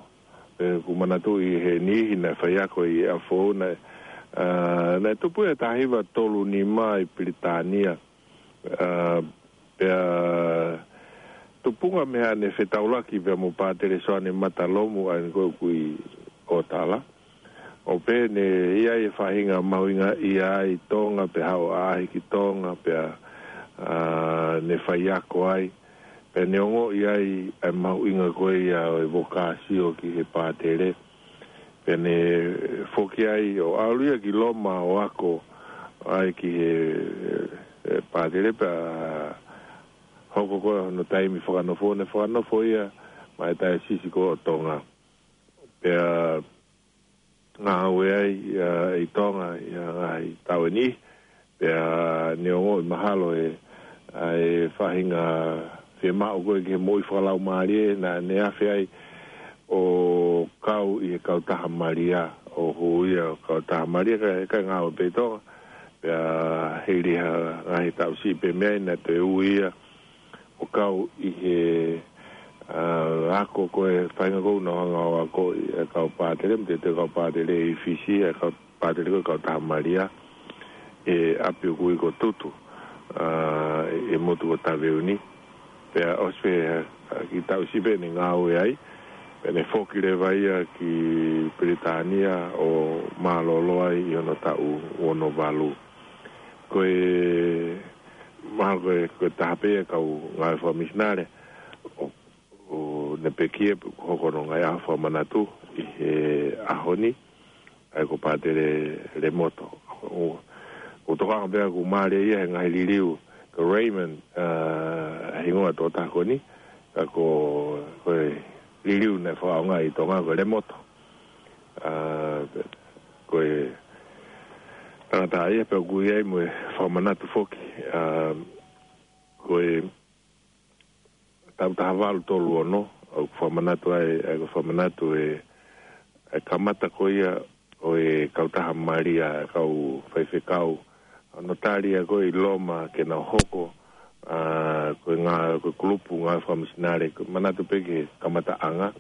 Pea ʻoku ou manatuʻi he niʻihi naʻe faiako ʻi ʻApifoʻou naʻe, ʻa, naʻe tupu ʻi he taha hiva tolu nima ʻi Pilitānia. ʻA, pea tupunga mei ai ne fetaulaki pea mo Pātele Soane Matalomu ʻa eni ko ē ʻoku ʻi ʻOtala. ʻO pehē ne ʻi ai e faʻahinga mahuʻingaʻia ʻi Tonga, pea haʻu ʻo ʻaʻahi ki Tonga, pea, ʻa, ne faiako ai. Pea ne ongoʻi ai ʻa e mahuʻinga ko ia ʻo e vokāsio ki he pātele. Pea ne foki ai ʻo ʻalu ia ki Loma ʻo ako ai ki he, he pātele pea hoko ko ē hono taimi fakanofo, ne fakanofo ia maʻa e taiosisi ko ē ʻo Tonga. Pea ngāue ai, ʻa, ʻi Tonga, ʻi he ngaahi taʻu ʻe niʻihi, pea ne ongoʻi mahalo e, ʻa e faʻahinga fiemaʻu ko ē ki he moʻui fakalaumālie, naʻa ne afe ai ʻo kau ʻi he kautaha Malia, ʻo hū ia ʻo kautaha Malia, kae, kae ngāue pē ʻi Tonga, pea hili ha ngaahi taʻu siʻi pē mei ai naʻe toe ui ia ʻo kau ʻi he, ʻa, ako ko ē faʻahinga ko ē naʻa nau hanga ʻo ako ʻi he kau pātele, mo e te kau pātele ʻi Fisi, ʻa e kau pātele ko ē kautaha Malia, ʻi he ʻapi ʻoku ui ko Tutu, ʻa, ʻi he motu ko Taveuni. Pea ʻosi pē, ʻa, kiʻi taʻu siʻi pē ne ngāue ai, pea ne foki leva ia ki Pilitānia ʻo mālōlō ai ʻi hono taʻu ono valu. Ko e, mahalo ko e, ko e taha pē ia e kau ngāue fakamisinale, ʻo, ʻo ne pekia, ʻoku hoko hono ngaahi ʻaho fakamanatu ʻi he ʻaho ni, ʻa ia ko Pātele Lemoto. ʻO, ʻoku tokanga pē ʻoku mālie ia he ngaahi liliu, ko Raymond, ʻa, hingoa ʻo e tokotaha ko eni, ka ko, ko e liliu naʻe fakaʻaongaʻi ʻi Tonga ko Lemoto. ʻA, ko e tangata ia pea ʻoku ʻi ai mo e fakamanatu foki. ʻA, ko e taʻu taha valu tolu ono, ʻoku fakamanatu ai, ʻa ia ko e fakamanatu e, e kamata ko ia ʻo e kautaha Malia, e kau faifekau, ʻa, naʻa nau tali ia ko ē ʻi Loma ke nau hoko, ʻa, ko e ngā-, ko e kulupu ngāue fakamisinale, ko e manatu pē ki he kamataʻanga,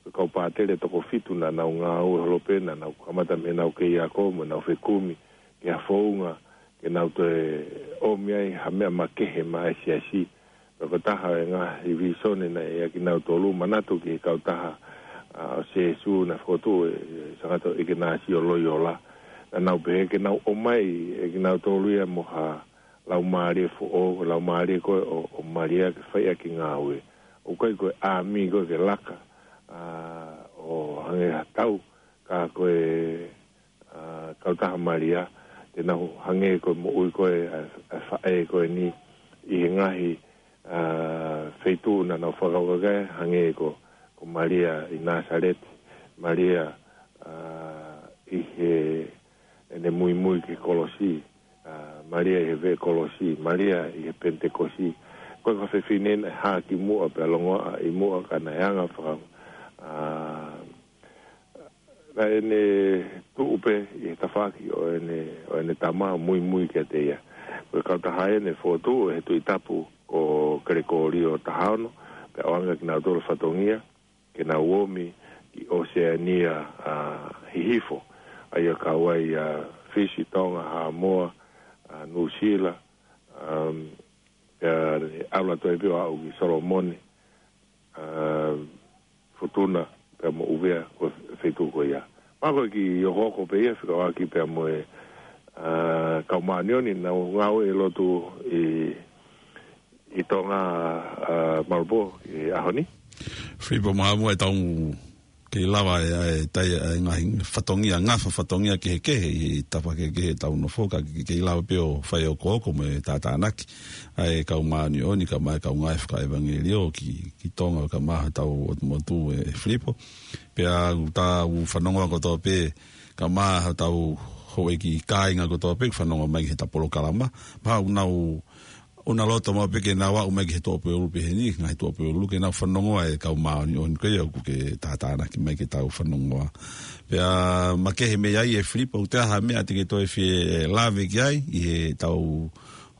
ko e kau pātele toko fitu naʻa nau ngāue holo pē, naʻa nau kamata mei heʻenau kei ako mo ʻenau fekumi ki ha founga, ke nau toe ʻomi ai ha meʻa makehe maʻa e siasi. Pea ko e taha e ngaahi vīsone naʻe ʻiate kinautolu, manatu ki he kautaha, ʻa, ʻo Sēsū naʻe fokotuʻu ʻe, ʻe Sangata ʻIkenasio Loiola. Naʻa nau pehē ke nau ʻomai ʻe kinautolu ia mo ha laumālie foʻou, laumālie ko ē ʻo, ʻo Malia ke fai ʻaki e ngāue. ʻOku ʻikai ko e ʻāmi ko ē ke laka, ʻa, ʻo hangē ha tau, ka ko e, ʻa, kautaha Malia, te nau hangē ko e moʻui ko ē ʻa, ʻa e faʻē ko eni ʻi he ngaahi, ʻa, feituʻu naʻa nau fakakaukau ki ai, hangē ko, ko Malia ʻi Nāsaleti, Malia, ʻa, ʻi he, ʻene muimui ki he kolosi, ʻa, Malia ʻi he veʻe kolosi, Malia ʻi he Penitekosi, Ko e kau fefine naʻe hā ki muʻa pea longoaʻa ʻi muʻa ka naʻe anga faka-, ā, naʻa ne tuʻu pē ʻi he tafaʻaki ʻo ʻene, ʻo ʻene tama muimui kiate ia. Ko e kautaha ʻeni naʻe fokotuʻu ʻe he Tuʻi Tapu ko Kelekōlio taha ono, pea ʻoange kinautolu fatongia, ke nau omi ki ʻOseania, ā, Hihifo. ʻA ia kau ai ʻa Fisi, Tonga, Haʻamoa, ā, Nuʻusila, ā, ʻalu atu ai pē ʻo aʻu ki Solomone, ā, Futuna, pea mo ʻUvea, ko e feituʻu ko ia. Mahalo ko e kiʻi okooko pē ia, fekauʻaki pea mo e, ā, kau māʻoniʻoni, naʻa nau ngāue ʻi loto ʻi, ʻi Tonga, ā, Malupō, ʻi he ʻaho ni. Filipo Mahamua, ʻe tau kei lava ʻe, ʻe tai ʻa e ngaahi fatongia, ngafa fatongia kehekehe ʻi he tafaʻaki kehekehe ʻetau nofo, ka ke, kei lava pē ʻo fai ʻo okooko mo e tātānaki ʻa e kau māʻoniʻoni, kae ʻumaʻā e kau ngāue fakaʻevangeliō ki, ki Tonga, kae ʻumaʻā hotau ʻotu motu ē Filipo. Pea ʻoku tau fanongoa kotoa pē, kae ʻumaʻā hotau houʻeiki kāinga kotoa pē, fanongoa mai ki heʻeta polokalama. Mahalo ʻoku nau ʻoku nau loto maʻu pē ke nau aʻu mai ki he tuʻupuleʻanga pehē ni, ngaahi tuʻupuleʻanga, ke nau fanongoa e kau māʻoniʻoni ko ia ʻoku ke tātānaki mai ke tau fanongoa. Pea makehe mei ai ē Filipo, ʻoku ʻi ai ha meʻa te ke toe fie lave ki ai ʻi heʻetau,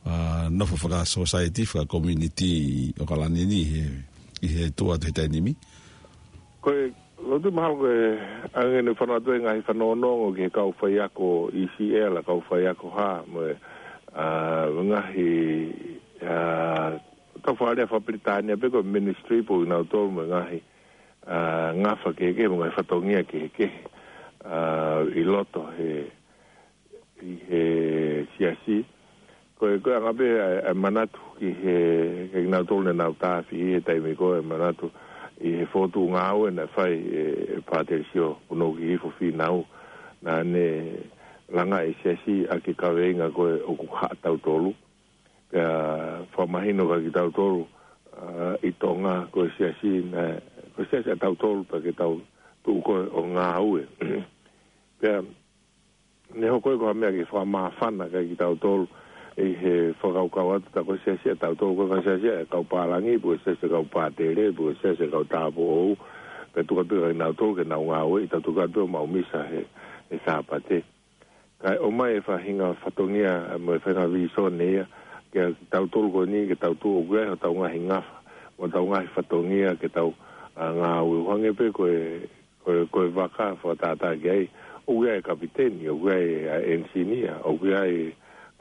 ā, nofo fakasōsaieti, fakakomiunitī ʻo ʻAokalani ni ʻi he, ʻi he tuʻa atu he taimi ni? Ko e, ʻoku ou tui mahalo ko e anga ʻene fanongo atu e ngaahi fanongonongo ki he kau faiako ECL, kau faiako hā, mo e, ā, ngaahi, ā, tau fakalea faka-Pilitānia pē ko e ministry pē ʻo kinautolu mo e ngaahi, ā, ngafa kehekehe, mo e ngaahi fatongia kehekehe, ā, ʻi loto he ʻi he siasi. Ko e, ko e anga pē ʻa e, ʻa e manatu ki he, ki he kinautolu naʻa nau tāfiʻi he taimi ko ē, manatu ʻi he fokotuʻu ngāue naʻe fai ʻe, ʻe Pātele Sio Punou ki Hihifo Fīnau. Naʻa ne langa e siasi ʻaki e kaveinga ko e ʻoku haʻatautolu. Pea fakamahino kia kitautolu, ā, ʻi Tonga ko e siasi naʻe, ko e siasi ʻatautolu pea ke tau tuʻu ko ē ʻo ngāue. Pea ne hoko ia ko ha meʻa ke fakamāfana kia kitautolu ʻi he fakakaukau atu tā ko e siasi ʻatautolu, ko e fai siasi ʻa e kau pālangi, pe ko e siasi ʻa e kau pātele, pe ko e siasi ʻa e kau tāupoʻou, pea tuku atu pē kia kinautolu ke nau ngāue, ʻi tau tuku atu pē ʻo maʻu misa he, he Sāpate. Kae ʻomai e faʻahinga fatongia, mo e faʻahinga vīsone ia, kia kitautolu ko eni, ke tau tuʻu ʻoku ʻi ai hotau ngaahi ngafa, mo hotau ngaahi fatongia, ke tau, ā, ngāue ʻo hangē pē ko e ko e, ko e vaka fakatātā ki ai, ʻoku ʻi ai e kapiteni, ʻoku ʻi ai ʻa e ʻenisinia, ʻoku ʻi ai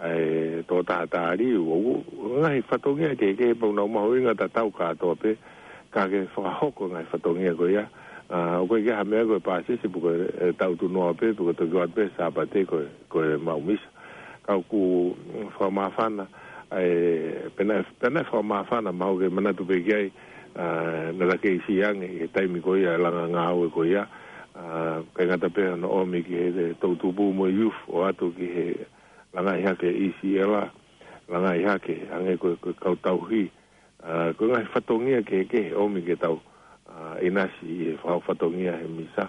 ʻa e tokotaha tāliu, ʻoku ngaahi fatongia kehekehe pea ʻoku nau mahuʻinga tatau kātoa pē, ka ke fakahoko e ngaahi fatongia ko ia, ā, ʻoku ʻikai ke ʻi ai ha meʻa ko e pāsese, pe ko e, ē, tau tunoa pē, pe ko e toki ʻoatu pē Sāpate ko e, ko e maʻu misa. Ka ʻoku fakamāfana, ē, pea naʻe, pea naʻe fakamāfana, mahalo ke manatu pē ki ai, ā, naʻa ta kei siʻi ange ʻi he taimi ko ia e langa ngāue ko ia, ā, ʻikai ngata pē hono ʻomi ki he, he toʻutupu mo e youth ʻo ʻoatu ki he langaʻi hake ʻi Siela, langaʻi hake, hangē ko e, ko e kau tauhi, ā, ko e ngaahi fatongia kehekehe ʻomi ke tau, ā, ʻinasi ʻi he fau fatongia he misa.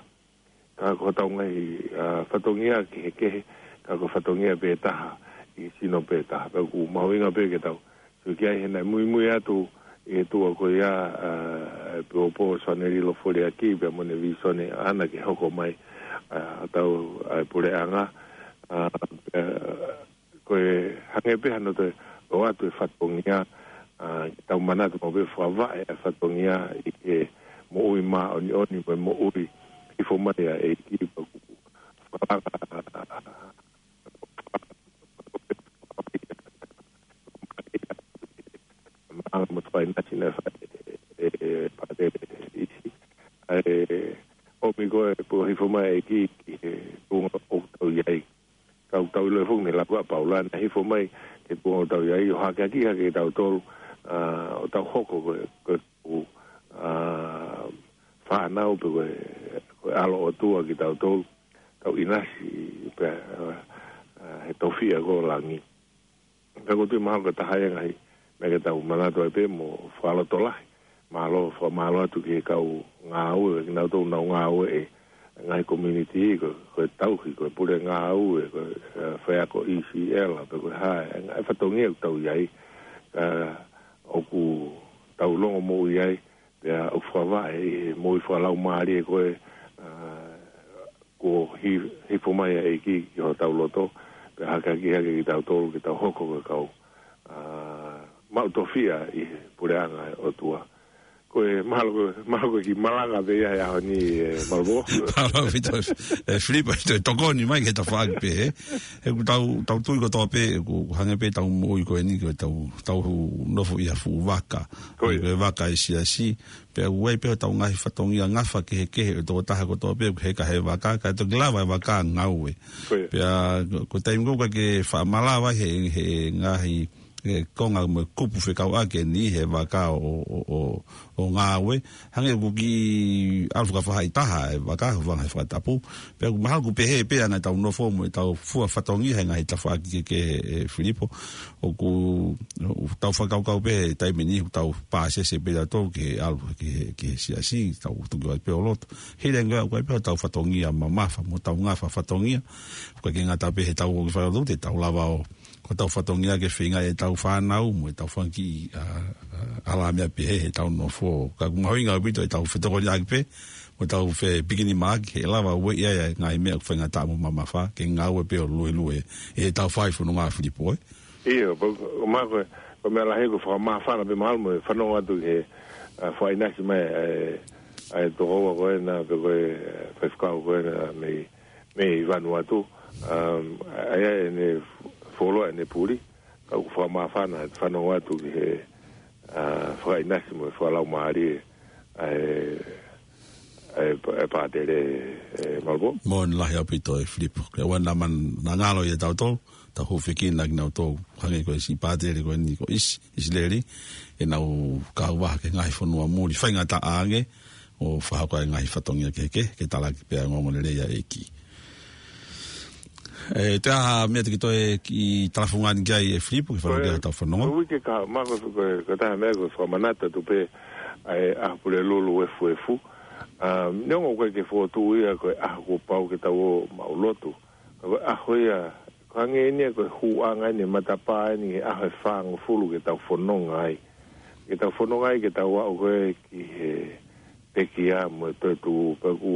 Ka ko hotau ngaahi, ā, fatongia kehekehe, ka ko e fatongia pē taha, ʻi he sino pē taha. Pea ʻoku mahuʻinga pē ke tau sio ki ai he naʻe muimui atu ʻi he tuʻa ko ia, ā, ʻa e Pōpō Soanelilo Foliaki, pea mo ʻene vīsone ʻaʻana ke hoko mai, ā, ʻa e tau, ʻa e puleʻanga, ā, pea, ko e hangē pē hano toe ʻoatu e fatongia, ā, ke tau manatu maʻu pē fakavaʻe ʻa e fatongia ʻi he moʻui māʻoniʻoni mo e moʻui hifo mai ʻa e ʻEiki pea ʻoku fakalaka maʻanga mo e faʻahinga naʻe fai ʻe, ʻe Pātele ʻIsi. ʻA e ʻomi ko e pō hifo mai ʻa e ʻEiki ki he tuʻunga ʻoku tau ʻi ai. Ka ʻoku tau ʻilo foki mei he lau ʻa Paula naʻe hifo mai ki he tuʻunga ʻoku tau ʻi ai, ʻo hakeakiʻi hake kitautolu, ā, ʻo tau hoko ko e, ko e, ʻū, ā, fānau pe ko e, ko e ʻAlo ʻOtua kitautolu, tau ʻinasi pē, ā, ā, he tofiʻa ko langi. Ka ʻoku ou tui mahalo ko e taha ia e ngaahi meʻa ke tau manatu ai pē mo fakalotolahi. Mālō, fakamālō atu ki he kau ngāue, kinautolu ʻoku nau ngāue ʻi he ngaahi community, ko, ko e tauhi, ko e pule ngāue, ko e, ē, faiako ECL, pe ko e hā, ē, ngaahi fatongia ʻoku tau ʻi ai. Ka, ʻo ʻoku tau longomoʻui ai, pea ʻoku fakavaʻe ʻi he moʻui fakalaumālie ko ē, ʻa, kuo hi-, hifo mai ʻa e ʻEiki ki hotau loto, pea hakahaki hake kitautolu ke tau hoko ko e kau, ʻa, maʻu tofiʻa ʻi he puleʻanga ʻo e ʻOtua. Ko e mahalo ko, mahalo ko e kiʻi malanga pē ia he ʻaho ni, ʻe Malvo. Mālō ʻaupito, ʻe Filipo, ʻe tokoni mai ki he tafaʻaki pehē. He ʻoku tau, tau tui kotoa pē, ʻoku hangē pē ʻetau moʻui ko eni, ko ʻetau, tau nofo ʻi ha fuʻu vaka. Ko ia. Ko e vaka ʻa e siasi, pea ʻoku ʻi ai pē hotau ngaahi fatongia ngafa kehekehe ʻo e tokotaha kotoa pē, ʻoku heka he vaka, kae toki lava e vaka ʻo ngaue. Ko ia. Pea ko, ko e taimi ko ē ʻoku ʻikai ke faʻa malava he, he ngaahi, ʻe konga mo e kupu fekauʻaki eni he vaka ʻo, ʻo, ʻo, ʻo ngaue. Hangē ʻoku kiʻi ʻalu fakafaʻahitaha e vaka, hūfanga he fakatapu. Pea ʻoku mahalo ʻoku pehē pē ʻa ʻetau nofo mo ʻetau fua fatongia he ngaahi tafaʻaki kehekehe, ʻe Filipo. ʻOku, ʻoku tau fakakaukau pē he taimi ni, ʻoku tau pāsese pē tautolu ke ʻalu ki he, ki he siasi, tau tuku ai pē ʻo lotu. He ʻikai ke ʻi ai pē hotau fatongia mamafa, mo ʻetau ngafa fatongia. ʻOku ʻikai ke ngata pē heʻetau ō ki he falelotu, te tau lava ʻo, ko ʻetau fatongia ke feinga ʻetau fānau, mo ʻetau fanga kiʻi, ʻa, ʻa, ʻalā meʻa pehē heʻetau nofo. Ka ʻoku mahuʻinga ʻaupito ʻetau fetokoniʻaki pē, mo ʻetau fepikinimaʻaki, he ʻe lava ʻo ueʻi ai ʻa e ngaahi meʻa ʻoku faingataʻa mo mamafa, ke ngaue pē ʻo luelue, ʻi heʻetau fai fononga, Filipo, ē? ʻIo, pea ko, ko e meʻa ko ē, ko e meʻa lahi ko e fakamāfana pē mahalo mo e fanongo atu ki he, ʻa, fakaʻinasi mai, ʻa e, ʻa e tokoua ko ena, pe ko e, ʻa e faifekau ko ena, mei, mei Vanuatu. Um, ʻa ia ʻene fuoloa ʻene puli, ka ʻoku fakamāfana, fanongo atu ki he, ʻa, fakaʻinasi mo e fakalaumālie, ʻa e, ʻa e, ʻa e pātele, ʻe Malvo. Moʻoni lahi ʻaupito, ʻe Filipo. Ke wana man nangalo ia tautolu, tau hūfekina kinautolu, hangē ko e siʻi pātele ko eni ko ʻIsi-, ʻIsileli, ʻenau kau vaha ki he ngaahi fonua muli, faingataʻa ange, ʻo fakahoko ai e ngaahi fatongia kehekehe, ke talaki pea ongoongolelei ʻa e ʻEiki. ʻE, toe ʻi ai ha meʻa te ke toe kiʻi talafungani ki ai, ʻe Filipo, ke fanongo ki ai hotau fononga? Ko e uike kahaʻu, Malvo, ko e, ko e taha e meʻa ko e fakamanatu atu pē, ʻa e ʻaho Pulelulu efuefu. ʻA, neongo ʻoku ʻikai ke fokotuʻu ia ko e ʻaho kuo pau ke tau ō maʻulotu. Ka ko e ʻaho ia, ko e hangē eni ia ko e hūʻanga eni e matapā eni he ʻaho ʻe fāngofulu ke tau fononga ai. Ke tau fononga ai, ke tau aʻu ko ē ki he pekia mo e toetuʻu, pea ʻoku,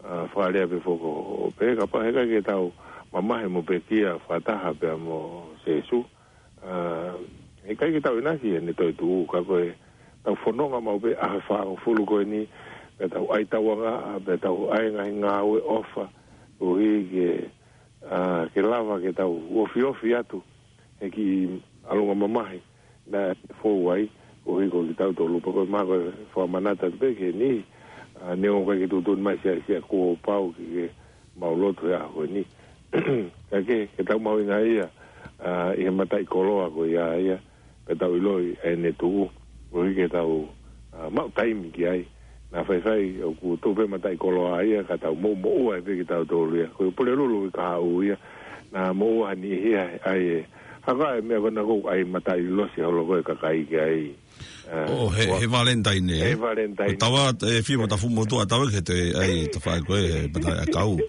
ʻa, fakalea pē foki ʻo pehē kapau heʻikai ke tau mamahi mo pekia fakataha pea mo Sīsū, ʻa, heʻikai ke tau ʻinasi ʻi heʻene toetuʻu, ka ko ʻetau fononga maʻu pē ʻaho ʻe fāngofulu ko eni, pea tau ʻai tauangaʻa, pea tau ʻai ngaahi ngāue ʻofa, koeʻuhi ke, ʻa, ke lava ke tau ofiofi atu he kiʻi ʻalunga mamahi naʻe fou ai, koeʻuhi ko kitautolu. Pea ko e meʻa ko e fakamanatu atu pē ki he niʻihi, ʻa, neongo ʻoku ʻikai ke tuʻutuʻuni mai siʻisiʻi kuo pau ke, ke maʻulotu he ʻaho ni. Ka ke, ke tau mahuʻingaʻia, ʻa, ʻi he mataʻikoloa ko ia ia, pea tau ʻiloʻi ʻene tuʻu, koeʻuhi ke tau, ʻa, maʻu taimi ki ai. Naʻa faifai ʻoku tuʻu pē mataʻikoloa ia, ka tau moʻumoʻua ai pē kitautolu ia. Ko e Pulelulu uike kahaʻu ia, naʻa moʻua ha niʻihi ia, ʻa ia. Hangē ko e meʻa ko ena ko e ʻai mataʻilosi holo ko e kakai ki ai. ʻA, ʻo, he, ua-, he Valentine, he ē? Valentine. Ko e tava, ʻe Filipo, tafu motu ʻa tava ke te, ʻai, tafaʻaki ko e, he mataʻi ʻakau.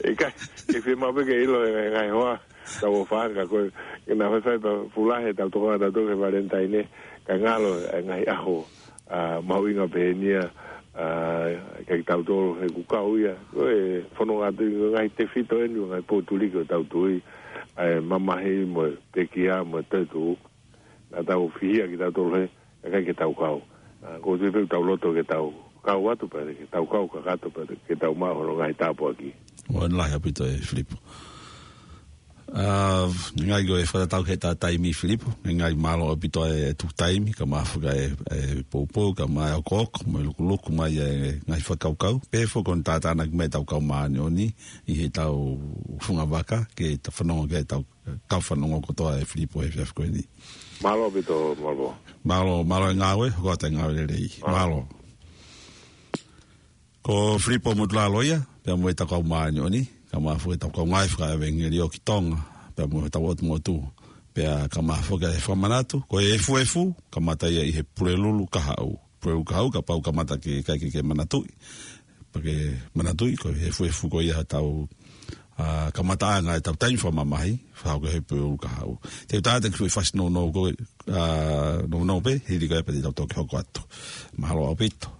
ʻIkai, ke fiemaʻu pē ke ʻilo e ngaahi, ngaahi hoa, tau ō fanga ko e, ke naʻa faifai pea fuʻu lahi ʻetau tokanga tautolu ki he Valentine, ka ngalo e ngaahi ʻaho, ʻa, mahuʻinga pehē ni ia, ʻa, kia kitautolu he ʻoku kau ia, ko e fononga atu ʻi he ngaahi tefito eni, ngaahi potuliki ʻo ʻetau tui, ʻa e mamahi mo e pekia mo e toetuʻu, naʻa tau fihia kitautolu he, ʻikai ke tau kau. ʻA, ʻoku ou tui pē ʻoku tau loto ke tau kau atu pea ke tau kau kakato pea ke tau maʻu hono ngaahi tāpuaki. Moʻoni lahi ʻaupito, ʻe Filipo. ʻA, ngaahi ko e fakatatau ki heʻeta taimi, Filipo. Ngaahi mālō ʻaupito e tuku taimi, kae ʻumaʻā foki e, e poupou, kae ʻumaʻā e okooko, mo e lukuluku mai e ngaahi fakakaukau. Pea foki ko hono tātānaki mai ʻetau kau māʻoniʻoni, ʻi heʻetau funga vaka, ke ta fanongo ki heʻetau kau fanongo kotoa, ʻe Filipo, he efiafi ko eni. Mālō ʻaupito, Malvo. Mālō, mālō e ngāue, hoko atu e ngāue lelei. Mālō. Mālō. Ko Filipo Motulaloia, pea mo ʻetau kau māʻoniʻoni, kae ʻumaʻā foki ʻetau kau ngāue fakaʻevangeliō ki Tonga, pea mo ʻetau ʻotu motu, pea kae ʻumaʻā foki e fakamanatu, ko e efuefu, kamata ia ʻi he Pulelulu kahaʻu. Pulelulu kahaʻu, kapau kamata ke, ʻikai ke, ke manatuʻi. Pea ke manatuʻi, ko e efuefu ko ia ʻetau ʻa, kamataʻanga ʻetau taimi fakamamahi, fakahoko he pē ʻuluaki haʻu. Te u tala atu ki he foʻi fasi nounou ko ē, ʻa, nounou pē, hili ko ia pea te tau toki hoko atu. Mahalo ʻaupito.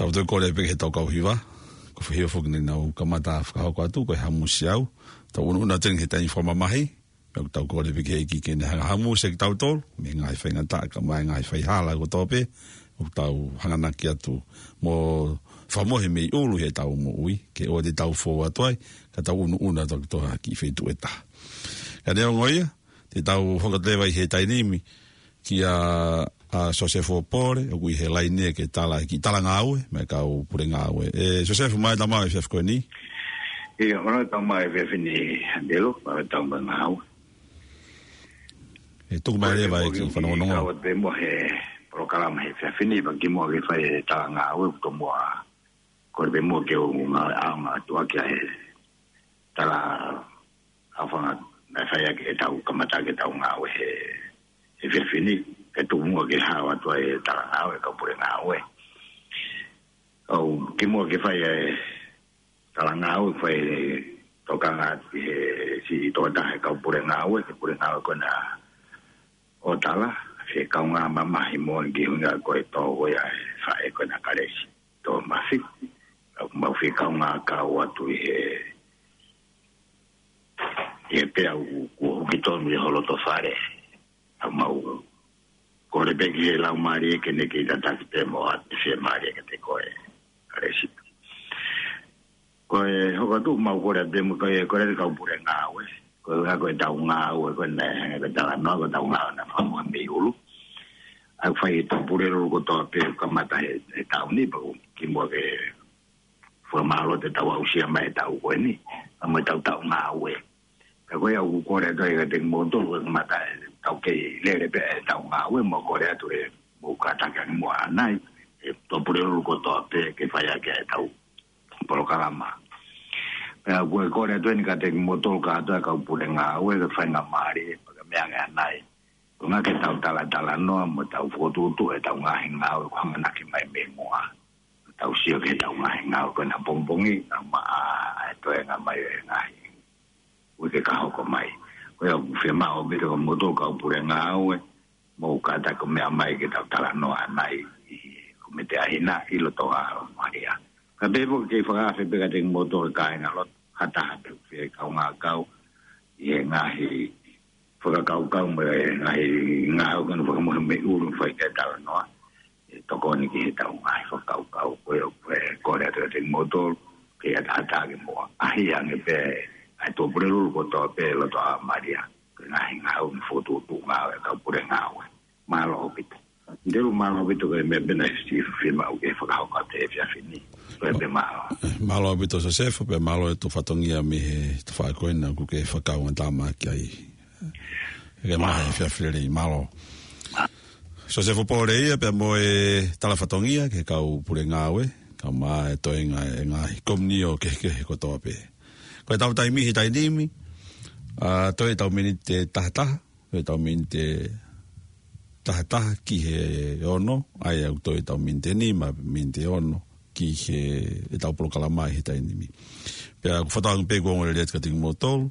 Tau toe kole pē ki he tau kau hiva. Ko e foʻi hiva foki naʻa nau kamata fakahoko atu, ko e Hamusi Au. Tau unuuna atu eni ki he taimi fakamamahi. Pea ʻoku tau kole pē ki he ʻEiki ke ne hanga ʻo hamusi kitautolu mei he ngaahi faingataʻa kae ʻumaʻā e ngaahi faihala kotoa pē ʻoku tau hanganaki atu mo fakamohe mei ʻulu ʻi heʻetau moʻui, ke ʻoua te tau fou atu ai, ka tau unuuna atu ki ha kiʻi feituʻu ʻe taha. Ka neongo ia, te tau hoko atu leva ʻi he taimi ni kia, ʻa, Sosefo Pole, ʻoku ʻi he laine ke tala e kiʻi talangāue maʻa e kau pule ngāue. ʻE Sosefo, mālō e tau maʻu e efiafi ko eni. ʻIo, mālō e tau maʻu e efiafi ni, Andelu, mālō e tau maʻu e ngāue. ʻE tuku mai leva e kiʻi fanongonongo. Kau atu pē muʻa he polokalama he efiafi ni, pea kimuʻa ke fai e talangāue, ʻoku tomuʻa kole pē muʻa ke u ngāueʻaonga atu ʻaki ʻa e tala ʻaofanga naʻe fai ʻaki ʻetau kamata ʻaki ʻetau ngāue he, he efiafi ni, kae tuku muʻa ke hao atu ai e talangāue ʻa e kau pule ngāue. ʻOku kimuʻa ke fai e talangāue, fai e tokanga atu ki he siʻi tokotaha he kau pule ngāue, ki he pule ngāue ko ena ʻo Tala, fie kaungā mamahi moʻoni ki he ʻuhinga ko e tō ko ia e faʻē ko ena Kalesi Tōmasi. ʻOku mau fie kaungā kau atu ʻi he, ʻi he pea u, kuo huki tonu ʻi ho loto fale. ʻOku mau kole pē ki he Laumālie ke ne kei tataki pē mo ʻoatu e fiemālie kiate koe, Kalesi. Ko e hoko atu mau kole atu pē mo koe, kole atu kau pule ngāue. Ko e ʻuhinga ko ʻetau ngāue ko ena, ko e talanoa, ko ʻetau ngāue naʻe fakamohe mei ʻulu. ʻOku fai ʻe he Tuʻapulelulu kotoa pē ʻoku kamata he, he taʻu ni, pea ʻoku kimuʻa ke fakamālō atu ʻetau aʻusia mai e taʻu ko eni, pea mo ʻetau taʻu ngāue. Ka ko ia ʻoku kole atu ai kiate kimoutolu, ko e kamata ʻetau kei lele pē ʻetau ngāue, mau kole atu ke mou kātaki ange muʻa ʻanai, ʻe he Tuʻapulelulu kotoa pē ke fai ʻaki ʻetau polokalama. Pea ʻoku ou kole atu eni kiate kimoutolu kātoa kau pule ngāue, ke faingamālie, pea ke meʻa ange ʻanai. Ko e ʻuhinga ke tau talatalanoa mo tau fokotuʻutuʻu ʻetau ngaahi ngāue ʻoku hanganaki mai mei muʻa. Tau sio ki heʻetau ngaahi ngāue ko ena pongipongi, kae ʻumaʻā ʻa e toenga mai ʻo e ngaahi uike ka hoko mai. Ko ia ʻoku fiemaʻu ʻaupito kia moutolu kau pule ngāue, mou kātaki ʻo meʻa mai ke tau talanoa ʻanai ʻi he Kōmiti ʻa e Hina ʻi loto ʻa Malia. Kae pehē foki ke fakaafe pē kiate kimoutolu kāingalotu, ha taha pē ʻoku fie kaungā kau ʻi he ngaahi fakakaukau mo e ngaahi ngāue ko ena fakamohe mei ʻulu fai ki ai e talanoa. ʻE tokoni ki heʻetau ngaahi fakakaukau, ko ia ʻoku ou kole atu kiate kimoutolu, ke ʻatā atu ke mou ʻaʻahi ange pē ʻa e Tuʻapulelulu kotoa pē loto ʻa Malia, ko e ngaahi ngāue mo e fokotuʻutuʻu ngāue ʻa e kau pule ngāue. Mālō ʻaupito. Andelu, mālō ʻaupito, ko e meʻa pē naʻe fiemaʻu ke fakahoko atu he efiafi ni. Ko ia pē, mālō. Mālō ʻaupito Sosefo, pea mālō e tau fatongia mei he tafaʻaki ko ena ʻoku ke fakakaungātāmaki ai. Ke maʻu e efiafi lelei, mālō. Sosefo Pole ia pea mo e talafatongia ki he kau pule ngāue, kae ʻumaʻā e toenga e ngaahi komiunitī kehekehe kotoa pē. Ko ʻetau taimi he taimi ni, ʻa, toe ʻetau miniti tahataha, toe ʻetau miniti tahataha ki he ono, ʻa ia ʻoku toe ʻetau miniti nima, miniti ono, ki he, ʻetau polokalama he taimi ni. Pea ʻoku fakatauange pē kuo ongo lelei atu kiate kimoutolu,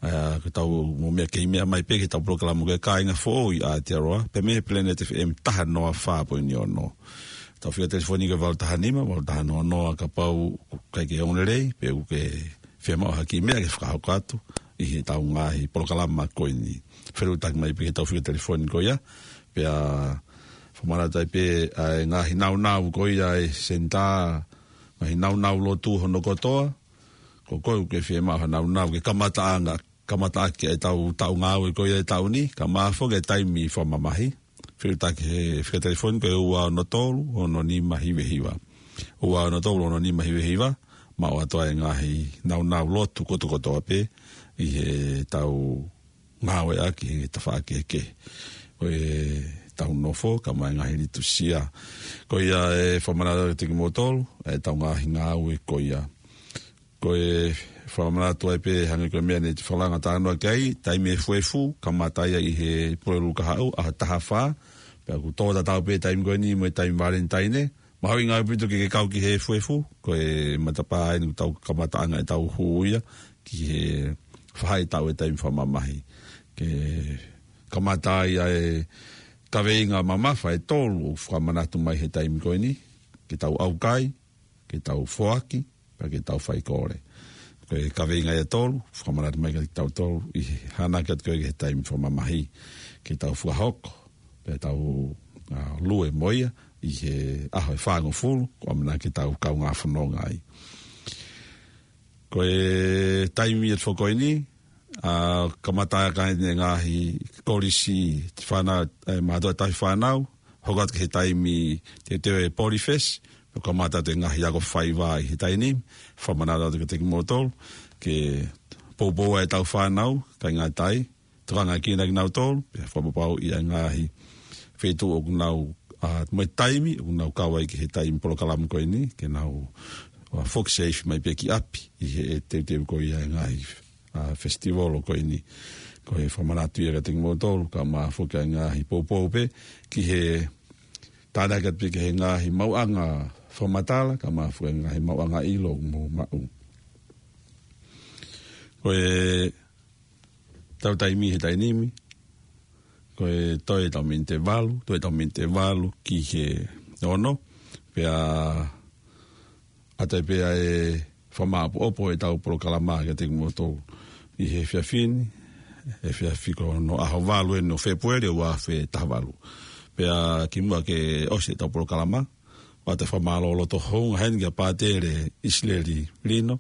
ʻa, ko ʻetau mo e meʻa kei meʻa mai pē ki heʻetau polokalama ko e Kāinga Foʻou ʻi Aotearoa, pea mei he Planet F M taha noa fā poini ono. ʻEtau fika telefoni ko e valu taha nima, valu taha noa noa kapau ʻoku ʻikai ke ongo lelei, pe ʻoku ke fiemaʻu ha kiʻi meʻa ke fakahoko atu ʻi heʻetau ngaahi polokalama ko eni. Fetuʻutaki mai pē ki heʻetau fika telefoni ko ia, pea fakamanatu ai pē ʻa e ngaahi nāunau ko ia e senitā, ngaahi nāunau lotu hono kotoa, ko koe ʻoku ke fiemaʻu ha nāunau ke kamataʻanga, kamataʻaki ʻetau taʻu ngāue ko ia e taʻu ni, kae ʻumaʻā foki e taimi fakamamahi. Fetuʻutaki he fika telefoni ko e ua ono tolu, ono nima hiva hiva. Ua ono tolu, ono nima hiva hiva, maʻu atu ai e ngaahi nāunau lotu kotokotoa pē ʻi heʻetau ngāueʻaki he tafaʻaki kehekehe ʻo ʻetau nofo, kae ʻumaʻā e ngaahi liturisia. Ko ia e fakamanatu kiate kimoutolu, ʻetau ngaahi ngāue ko ia. Ko e fakamanatu ai pē hangē ko e meʻa naʻe fakalanga talanoa ki ai, taimi efuefu, kamata ia ʻi he Pulelulu Kahaʻu, ʻaho taha fā, pea ʻoku tō tatau pē taimi ko eni mo e taimi Valentine, mahuʻinga ʻaupito ke ke kau ki he efuefu, ko e matapā eni ʻoku tau kamataʻanga ʻetau hū ia, ki he faʻahitaʻu e taimi fakamamahi. Ke kamata ai ʻa e kaveinga mamafa ʻe tolu ʻoku fakamanatu mai he taimi ko eni, ke tau ʻaukai, ke tau foaki, pea ke tau faikole. Ko e kaveinga ia ʻe tolu, fakamanatu mai kiate kitautolu, ʻi he hanake atu ko ē ki he taimi fakamamahi, ke tau fakahoko, pea tau, ʻa, lue mo ia, ʻi he ʻaho ʻe fāngofulu, ko e ʻamanaki ke tau kaungā fononga ai. Ko e taimi ʻe tolu ko eni, ʻa, kamata ʻa e ngaahi kolisi, fānau, ʻe, mātuʻa tauhi fānau, hoko atu ki he taimi teuteu e Polyfest, ʻo kamata atu e ngaahi ako faiva ʻi he taimi ni, fakamanatu atu kiate kimoutolu, ke poupou ʻetau fānau, kae ngata ai, tokangaʻi kinautolu, pea fakapapauʻi ʻa e ngaahi feituʻu ʻoku nau, ʻa, mo e taimi, ʻoku nau kau ai ki he taimi polokalama ko eni, ke nau, ʻa, foki safe mai pē ki ʻapi, ʻi he teuteu ko ia e ngaahi, ʻa, festival ko eni. Ko e fakamanatu ia kiate kimoutolu, kae ʻumaʻā foki ʻa e ngaahi poupou pē, ki he tānaki atu pē ki he ngaahi maʻuʻanga fakamatala, kae ʻumaʻā foki e ngaahi maʻuʻanga ʻilo ʻoku mou maʻu. Ko e ʻetau taimi he taimi ni, ko e toe ʻetau miniti valu, toe ʻetau miniti valu ki he ono, pea ʻoatu ai pē ʻa e fakamāʻopoʻopo ʻetau polokalama kiate kimoutolu ʻi he efiafi ni, efiafi ko hono ʻaho valu eni ʻo Fēpueli ua afe taha valu. Pea kimuʻa ke ʻosi ʻetau polokalama, ʻoatu e fakamālō loto hounga heni kia Pātele ʻIsileli Lino,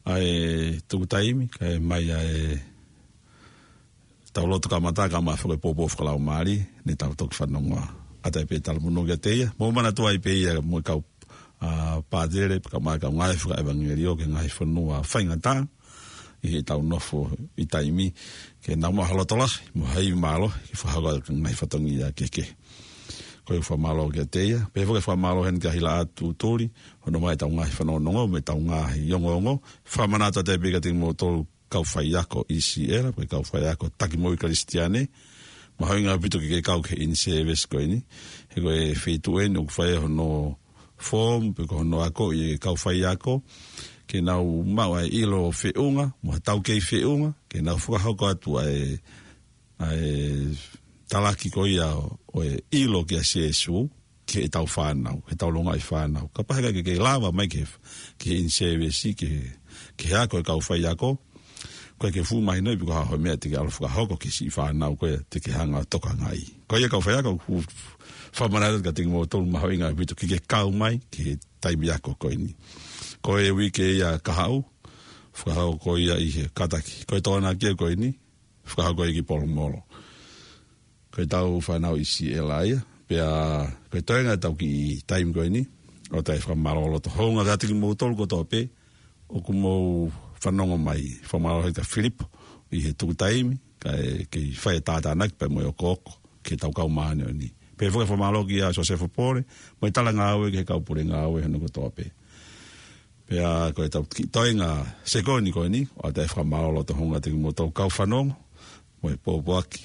ʻa e tuku taimi, kae mai ʻa e tau lotu kamata kae ʻumaʻā foki e poupou fakalaumālie, ne tau toki fanongoa. ʻOatu ai pē e talamonū kiate ia, mou manatuʻi pē ia mo e kau, ʻa, pātele, kae ʻumaʻā e kau ngāue fakaʻevangeliō ki he ngaahi fonua faingataʻa, ʻi heʻetau nofo ʻi taimi, ke nau maʻu ha loto lahi, mo ha ivi mālohi, ke fakahoko atu e ngaahi fatongia kehekehe. Ko e fakamālō kiate ia, pea foki e fakamālō heni kia Hilaʻatu Tuli, hono ʻomai ʻetau ngaahi fanongonongo, mo ʻetau ngaahi ongoongo, fakamanatu atu ai pē kiate kimoutolu kau faiako ʻi Siʻela, ko e kau faiako taki moʻui Kalisitiane, mahuʻinga ʻaupito ke ke kau ki he in-service ko eni, he ko e feituʻu eni ʻoku fai hono form, pe ko hono akoʻi e kau faiako, ke nau maʻu ʻa e ʻilo feʻunga, mo ha taukei feʻunga, ke nau fakahoko atu ʻa e, ʻa e talaki ko ia ʻo e ʻilo kia Sīsū, ki heʻetau fānau, heʻetau longaʻi fānau. Kapau he ʻikai ke ke lava mai ki he, ki he in-service, ki he, ki he ako e kau faiako, ʻoku ʻikai ke fuʻu mahinoʻi pe ko e hā e meʻa te ke ʻalu ʻo fakahoko ki he siʻi fānau ko ia te ke hanga ʻo tokangaʻi. Ko ia kau faiako, ʻoku fakamanatu kiate kimoutolu mahuʻinga ʻaupito ke ke kau mai ki he taimi ako ko eni. Ko e uike ia kahaʻu, fakahoko ia ʻi he kātaki. Ko e Tokonaki ko eni, fakahoko ia ki Polomolo. Ko ʻetau fānau ʻi Siʻela ia, pea ko e toenga ʻetau kiʻi taimi ko eni, ʻoatu ai e fakamālō loto hounga kiate kimoutolu kotoa pē ʻoku mou fanongo mai, fakamālō heni kia Filipo ʻi he tuku taimi, kae kei fai e tātānaki pea mo e okooko ki heʻetau kau māʻoniʻoni. Pehē foki e fakamālō kia Siosefa Pole mo e talangāue ki he kau pule ngāue hono kotoa pē. Pea ko ʻetau kiʻi toenga sekoni ko eni, ʻoatu e fakamālō loto houngaʻia atu kiate kimoutolu kau fanongo mo e pōpoaki,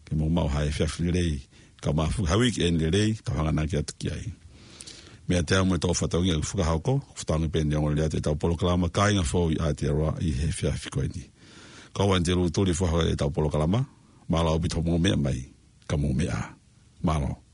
ke mou maʻu ha efiafi lelei, kau mafuke ha uike eni lelei, kau hanganaki atu ki ai. Meiate au mo e toko fatongia ʻoku fakahoko, ʻoku fakaʻaongaʻi pē ʻeni ʻa e ongoongolelei atu ʻetau polokalama Kāinga Foʻou ʻi Aotearoa ʻi he efiafi ko eni. Ko au ʻAnitelū Tuli, fakahoko ʻetau polokalama. Mālō ʻaupito hoʻomou meʻa mai, ka mou meʻa ā. Mālō.